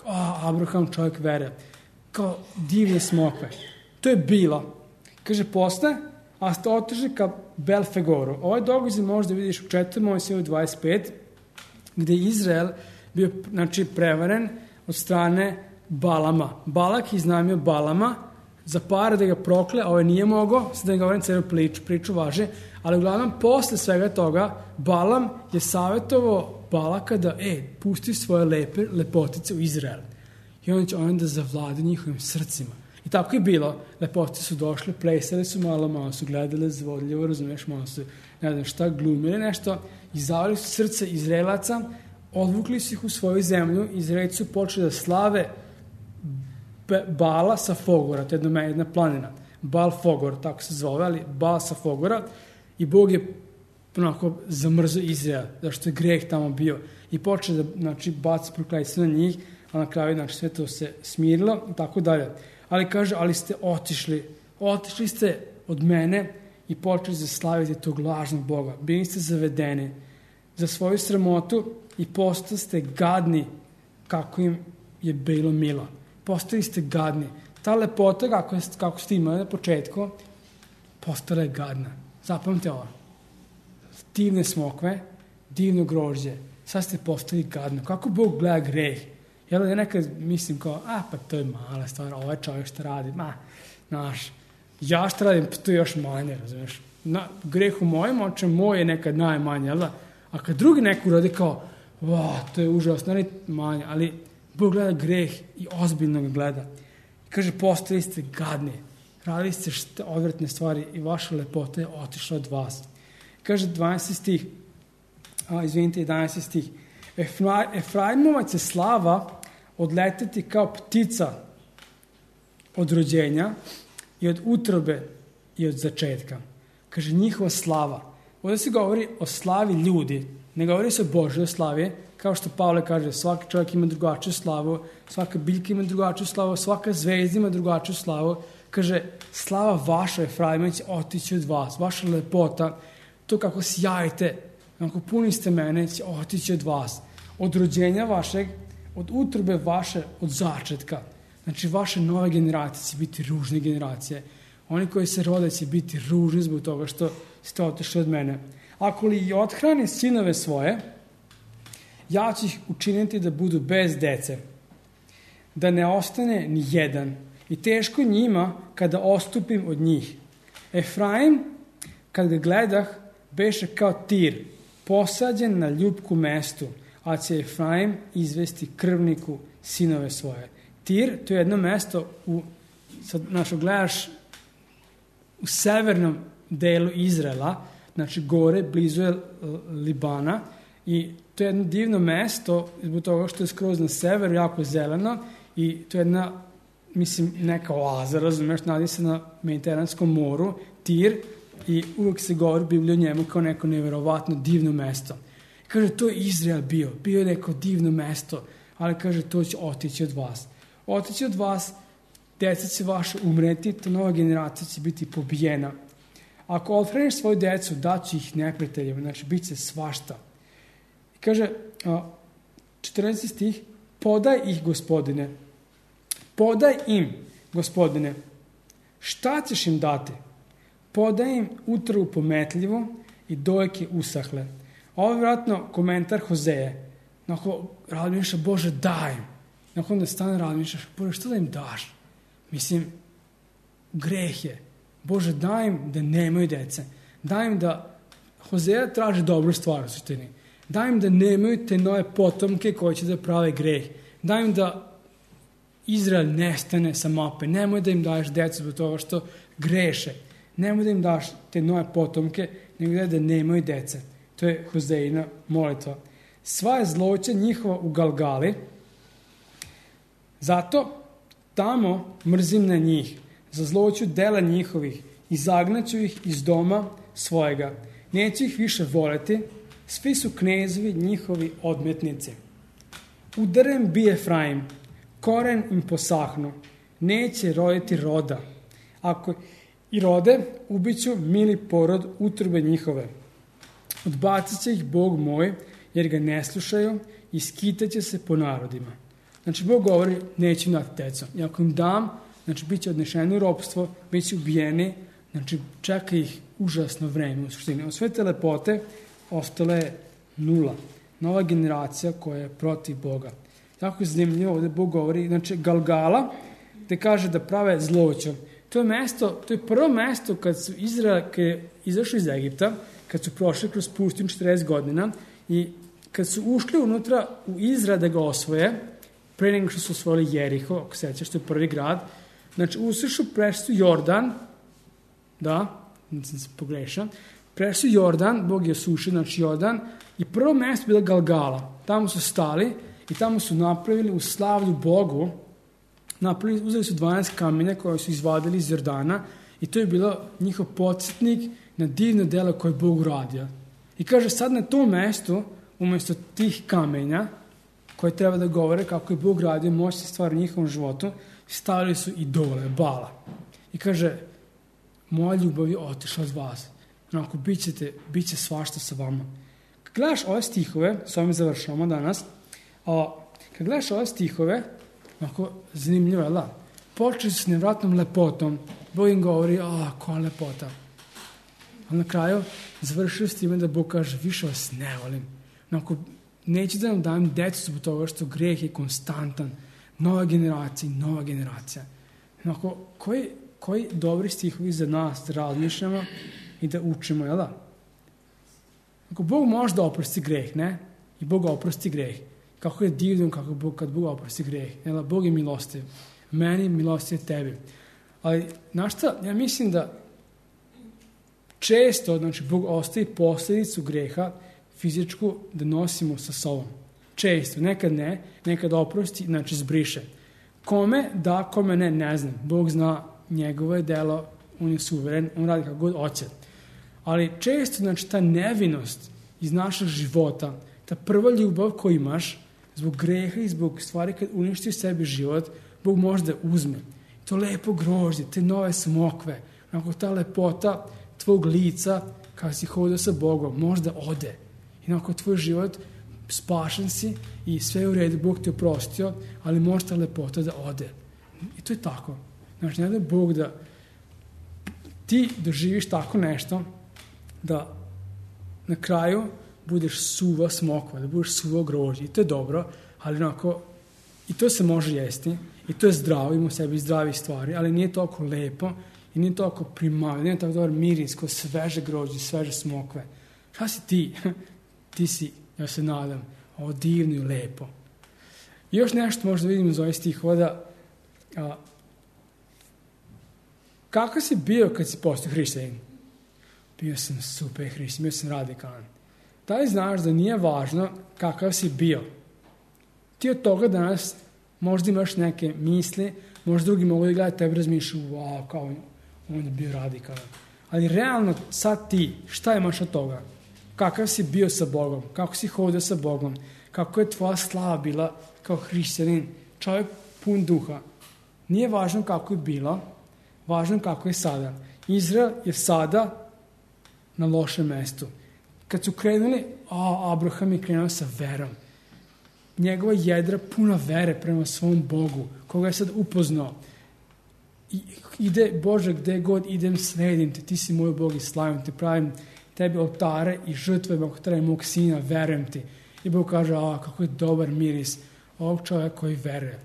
A, Abraham čovjek veruje. Kao divne smokve. To je bilo. Kaže, posle, a ste otišli ka Belfegoru. Ovaj događaj možda vidiš u četvrtom Mojsijevu dvadeset pet, gde je Izrael bio, znači, prevaren od strane Balama. Balak je iznajmio Balama za pare da ga prokle, a ovaj nije mogao, sad da ne govorim celu priču, priču važe, ali uglavnom posle svega toga Balam je savjetovao Balaka da, e, pusti svoje lepe lepotice u Izrael. I on će onda zavladi njihovim srcima. I tako je bilo. Lepotice su došle, plesali su malo, malo su gledali zvodljivo, razumiješ, malo su, ne znam šta, glumili nešto, i zavali su srce Izraelaca, odvukli su ih u svoju zemlju, Izraelci su počeli da slave Bala sa Fogora, to je jedna, jedna planina, Bal Fogor, tako se zove, ali Bal sa Fogora, i Bog je onako zamrzao Izrael, zašto je greh tamo bio, i počeo da, znači, baci prokletstvo na njih, a na kraju znači, sve to se smirilo i tako dalje. Ali kaže, ali ste otišli, otišli ste od mene i počeli da slavite tog lažnog Boga. Bili ste zavedeni za svoju sramotu i postali ste gadni kako im je bilo milo. Postali ste gadni. Ta lepota kako, je, kako ste imali na početku, postala je gadna. Zapamte ovo. Divne smokve, divno grožđe. Sad ste postali gadno. Kako Bog gleda greh? Jel da nekad mislim kao, a pa to je mala stvar, ovaj čovjek što radi, ma, znaš, ja što radim, to je još manje, razumiješ? Na, greh u mojim očima, moj je nekad najmanje, jel da? A kad drugi neko uradi kao, va, to je užasno, ali manje, ali Bog gleda greh i ozbiljno ga gleda. Kaže, postali ste gadni, radili ste šta, odvratne stvari i vaša lepota je otišla od vas. Kaže dvanaesti stih, a, izvinite, jedanaesti stih, Efra, Efraimovac je slava odleteti kao ptica od rođenja i od utrobe i od začetka. Kaže, njihova slava. Ovdje se govori o slavi ljudi, ne govori se o Božoj slavi, kao što Pavle kaže, svaki čovjek ima drugačiju slavu, svaka biljka ima drugačiju slavu, svaka zvezda ima drugačiju slavu. Kaže, slava vaša, Efraimovac, će otići od vas, vaša lepota, to kako sjajite, kako puni ste mene, će otići od vas. Od rođenja vašeg, od utrobe vaše, od začetka. Znači, vaše nove generacije će biti ružne generacije. Oni koji se rode će biti ružni zbog toga što ste otišli od mene. Ako li i othrani sinove svoje, ja ću ih učiniti da budu bez dece, da ne ostane ni jedan. I teško njima kada ostupim od njih. Efraim, kad ga gledah, beše kao tir, posađen na ljubku mestu, a će Efraim izvesti krvniku sinove svoje. Tir, to je jedno mesto, u, sad, znači, gledaš u severnom delu Izraela, znači gore, blizu je Libana, i to je jedno divno mesto, zbog toga što je skroz na severu, jako zeleno, i to je jedna, mislim, neka oaza, razumiješ, nalazi se na Mediteranskom moru, Tir, i uvijek se govori Biblija o njemu kao neko nevjerovatno divno mesto. Kaže, to je Izrael bio, bio je neko divno mesto, ali kaže, to će otići od vas. Otići od vas, djeca će vaše umreti, ta nova generacija će biti pobijena. Ako odhraniš svoju djecu, daći ih neprijateljima, znači bit će svašta. I kaže, četrnaesti stih, podaj ih, Gospodine, podaj im, Gospodine, šta ćeš im dati? Podaj im utrovu pometljivu i dojke usahle. Ovo je vjerojatno komentar Hozeje. Nakon razmišljaš, Bože, daj im. Nakon da stane razmišljaš, Bože, što da im daš? Mislim, greh je. Bože, daj im da nemaju dece. Daj im da, Hozeja traži dobru stvar u suštini. Daj im da nemaju te nove potomke koji će da prave greh. Daj im da Izrael nestane sa mape. Nemoj da im daješ decu zbog toga što greše. Nemoj da im daš te nove potomke, nego da nemaju dece. To je Hozejina molitva. Sva je zloća njihova u Galgali, zato tamo mrzim na njih, za zloću dela njihovih, i zagnaću ih iz doma svojega. Neću ih više voleti, svi su knezovi njihovi odmetnici. Udarem bi Efraim, koren im posahnu, neće roditi roda. Ako i rode, ubiću mili porod utrobe njihove. Odbacit će ih Bog moj, jer ga ne slušaju, i skitaće se po narodima. Znači, Bog govori, neću dati decu. I ako im dam, znači, bit će odnešeni u ropstvo, bit će ubijeni, znači, čeka ih užasno vreme u suštini. Od sve te lepote ostale je nula. Nova generacija koja je protiv Boga. Tako je zanimljivo, ovdje Bog govori, znači, Galgala, te kaže da prave zloću. To je mesto, to je prvo mesto kad su Izrael, kad je izašli iz Egipta, kad su prošli kroz pustinju četrdeset godina i kad su ušli unutra u Izrael da ga osvoje, pre nego što su osvojili Jeriho, ako sećaš, što je prvi grad, znači usišu, prešli su Jordan, da, nisam se pogrešao, prešli su Jordan, Bog je osušio, znači Jordan, i prvo mesto je bila Galgala. Tamo su stali i tamo su napravili u slavlju Bogu, napravili, uzeli su dvanaest kamenja koje su izvadili iz Jordana i to je bilo njihov podsjetnik na divno delo koje je Bog uradio. I kaže, sad na tom mestu, umjesto tih kamenja, koji treba da govore kako je Bog radio moćne stvari u njihovom životu, stavili su idole, Bala. I kaže, moja ljubav je otišla od vas. Onako, bit ćete, bit će svašta sa vama. Kad gledaš ove stihove, s ovim završavamo danas, a, kad gledaš ove stihove, onako, zanimljivo je, da, počeli su s nevratnom lepotom, Bog im govori, a, koja lepota. A na kraju, završili s time da Bog kaže, više vas ne volim. Onako, neću da nam dajem decu zbog toga što greh je konstantan. Nova generacija, nova generacija. Onako, koji, koji dobri stihovi za nas da razmišljamo i da učimo, jel da? Ako Bog može da oprosti greh, ne? I Bog oprosti greh. Kako je divno kako Bog, kad Bog oprosti greh. Jel da? Bog je milostiv. Meni milostiv tebi. Ali, znaš šta, ja mislim da često, znači, Bog ostavi posljedicu greha fizičku da nosimo sa sobom. Često, nekad ne, nekad oprosti, znači zbriše. Kome da, kome ne, ne znam. Bog zna njegovo je delo, on je suveren, on radi kako god hoće. Ali često, znači, ta nevinost iz našeg života, ta prva ljubav koju imaš, zbog greha i zbog stvari kad uništi u sebi život, Bog može da uzme. To lepo grožđe, te nove smokve, onako ta lepota tvog lica, kada si hodio sa Bogom, možda ode. I onako tvoj život, spašen si i sve je u redu, Bog te oprostio, ali može ta lepota da ode. I to je tako. Znači, ne da Bog da ti doživiš tako nešto, da na kraju budeš suva smokva, da budeš suva grožđe. I to je dobro, ali onako, i to se može jesti, i to je zdravo, ima u sebi zdravih stvari, ali nije toliko lepo i nije toliko primavno, nije tako dobar miris kao sveže grožđe, sveže smokve. Šta si ti? Ti si, ja se nadam, ovo divno i lepo. I još nešto možda vidimo iz ovih stihova da a, kako si bio kad si postao hrišćanin? Bio sam super hrišćanin, bio sam radikalan. Da li znaš da nije važno kakav si bio? Ti od toga danas možda imaš neke misli, možda drugi mogu da gledati tebe razmišljaju, wow, kao on, on je bio radikalan. Ali realno sad ti, šta imaš od toga? Kakav si bio sa Bogom? Kako si hodio sa Bogom? Kako je tvoja slava bila kao hrišćanin? Čovjek pun duha. Nije važno kako je bilo, važno kako je sada. Izrael je sada na lošem mestu. Kad su krenuli, a, Abraham je krenuo sa verom. Njegova jedra puna vere prema svom Bogu, koga je sad upoznao. I, ide, Bože, gde god idem, sledim te, ti si moj Bog i slavim te, pravim tebi oltare i žrtve, ako treba mog sina, verujem ti. I Bog kaže, a, kako je dobar miris ovog čovjeka koji veruje.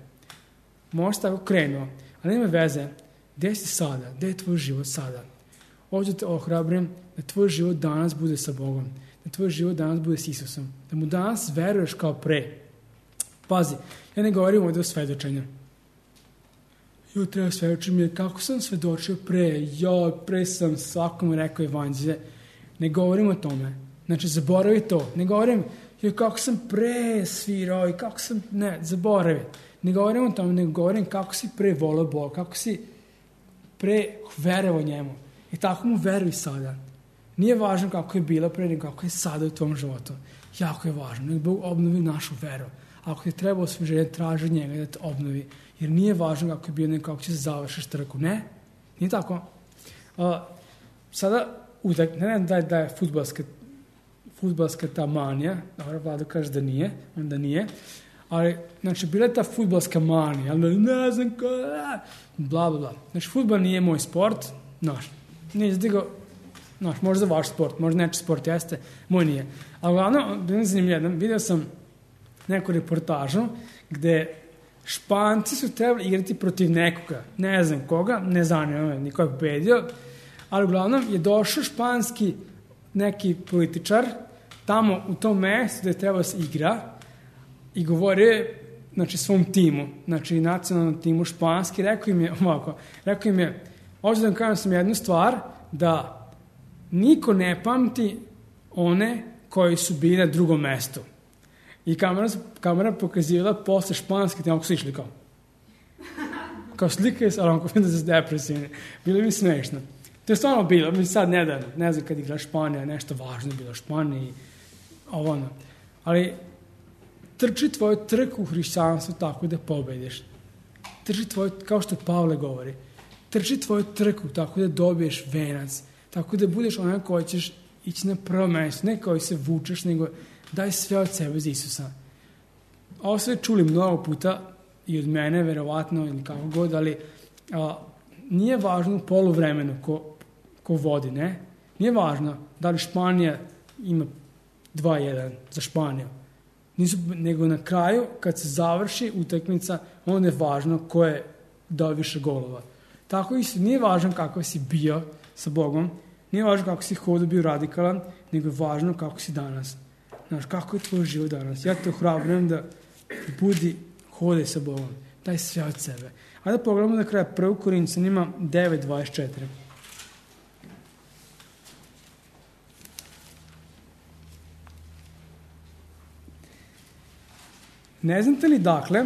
Možda tako krenuo, ali nema veze, gde si sada, gde je tvoj život sada? Ovdje te ohrabrim da tvoj život danas bude sa Bogom, da tvoj život danas bude s Isusom, da mu danas veruješ kao pre. Pazi, ja ne govorim ovdje o svedočenju. Jo, treba svedočiti mi, kako sam svedočio pre, jo, pre sam svakom rekao evanđelje. Ne govorim o tome. Znači, zaboravi to. Ne govorim, jo, kako sam pre svirao i kako sam, ne, zaboravi. Ne govorim o tome, nego govorim kako si pre volio Boga, kako si pre verovao njemu. I tako mu veruj sada. Nije važno kako je bilo pre, nego kako je sada u tvom životu. Jako je važno. Nek Bog obnovi našu veru. Ako ti treba osveženje, traži njega da te obnovi. Jer nije važno kako je bilo, nego kako će se završiš trku. Ne? Nije tako? Uh, sada, utak, ne znam da je, da je futbalska, futbalska ta manija. Dobro, Vlado kaže da nije. Onda nije. Ali, znači, bila je ta futbalska manija. Ali ne znam ko... Bla, bla, bla. Znači, futbal nije moj sport. Znaš, nije zdigo... Znaš, možda vaš sport, možda neči sport jeste. Moj nije. Ali, uglavnom, bilo zanimljivo. Vidio sam neku reportažu gde Španci su trebali igrati protiv nekoga. Ne znam koga, ne zanima me, niko je pobedio. Ali uglavnom je došao španski neki političar tamo u tom mestu gde je trebao se igra i govorio je, znači, svom timu, znači nacionalnom timu španski, rekao im je ovako, rekao im je, ovdje da vam kažem sam jednu stvar, da niko ne pamti one koji su bili na drugom mestu. I kamera, kamera pokazivala posle španske, tamo su išli kao. Kao slike, ali onako vidim da su depresivni. Bilo mi smešno. To je stvarno bilo, mi sad nedavno, ne znam kad igra Španija, nešto važno je bilo Španiji, ovo ono. Ali trči tvoju trku u hrišćanstvu tako da pobediš. Trči tvoju, kao što Pavle govori, trči tvoju trku tako da dobiješ venac, tako da budeš onaj koji ćeš ići na prvo mjesto, ne koji se vučeš, nego daj sve od sebe za Isusa. Ovo sve čuli mnogo puta i od mene, verovatno, ili kako god, ali a, nije važno u poluvremenu ko, ko vodi, ne? Nije važno da li Španija ima dva jedan za Španiju. Nisu, nego na kraju, kad se završi utakmica, onda je važno ko je dao više golova. Tako isto, nije važno kako si bio sa Bogom, nije važno kako si hodao, bio radikalan, nego je važno kako si danas. Znaš, kako je tvoj život danas. Ja te ohrabrujem da budi, hodaj sa Bogom. Daj sve od sebe. Ajde da pogledamo na kraju prvo Korinćanima devet dvadeset četiri. Ne znate li dakle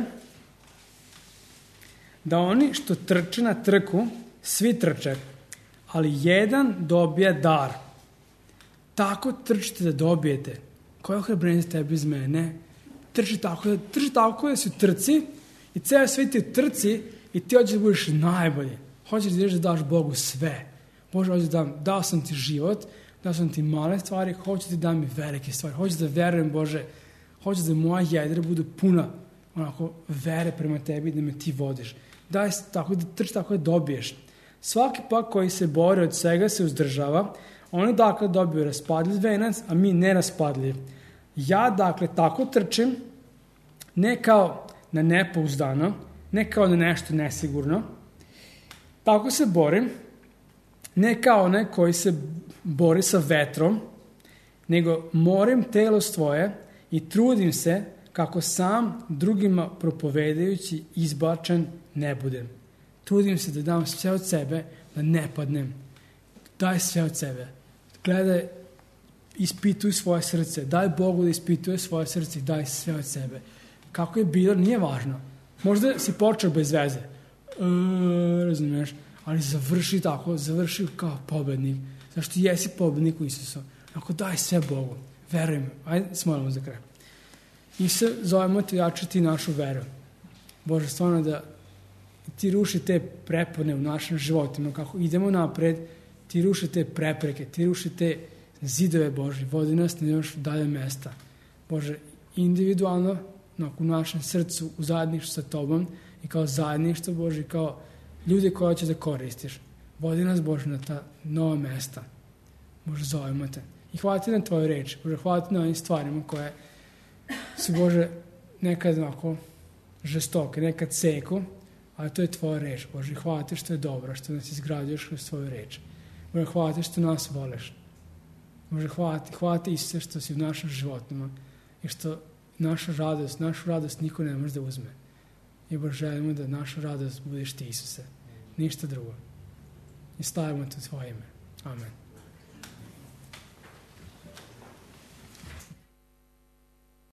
da oni što trče na trku, svi trče, ali jedan dobija dar. Tako trčite da dobijete. Koja ohrabrenje za tebi iz mene? Trči tako da, trči tako da si u trci i ceo svijet je u trci i ti hoćeš da budeš najbolji. Hoćeš da ideš da daš Bogu sve. Bože, hoćeš da dam, dao sam ti život, dao sam ti male stvari, hoćeš da dam i velike stvari. Hoćeš da verujem, Bože, hoćeš da moja jedra budu puna onako vere prema tebi, da me ti vodiš. Daj tako da trči tako da dobiješ. Svaki pak koji se bori od svega se uzdržava, oni dakle dobiju raspadljiv venac, a mi neraspadljiv. Ja dakle tako trčim, ne kao na nepouzdano, ne kao na nešto nesigurno, tako se borim, ne kao onaj koji se bori sa vetrom, nego morim telo svoje i trudim se kako sam drugima propovedajući izbačen ne budem. Trudim se da dam sve od sebe, da ne padnem. Daj sve od sebe. Gledaj, ispituj svoje srce. Daj Bogu da ispituje svoje srce i daj sve od sebe. Kako je bilo, nije važno. Možda si počeo bez veze. E, razumiješ? Ali završi tako, završi kao pobednik. Zašto ti jesi pobednik u Isusu. Ako daj sve Bogu. Veruj mi. Ajde, smolimo za kraj. I se zovemo ti jačati našu veru. Bože, stvarno da ti ruši te prepone u našim životima. Kako idemo napred, ti ruši te prepreke, ti ruši te zidove Bože. Vodi nas na još dalje mesta. Bože, individualno, u našem srcu, u zajedništvu sa Tobom i kao zajedništvo, Bože, kao ljude koje će da koristiš. Vodi nas, Bože, na ta nova mesta. Bože, zovemo te. I hvala ti na Tvoju reč. Bože, hvala ti na ovim stvarima koje su, Bože, nekad ovako žestoke, nekad seku, ali to je Tvoja reč, Bože. Hvala ti što je dobro, što nas izgrađuješ kroz Tvoju reč. Bože, hvala ti što nas voliš. Bože, hvala ti, hvala ti Isuse što si u našim životima i što naša radost, našu radost niko ne može da uzme. I Bože, želimo da naša radost budeš ti, Isuse. Ništa drugo. I stavimo to u Tvoje ime. Amen.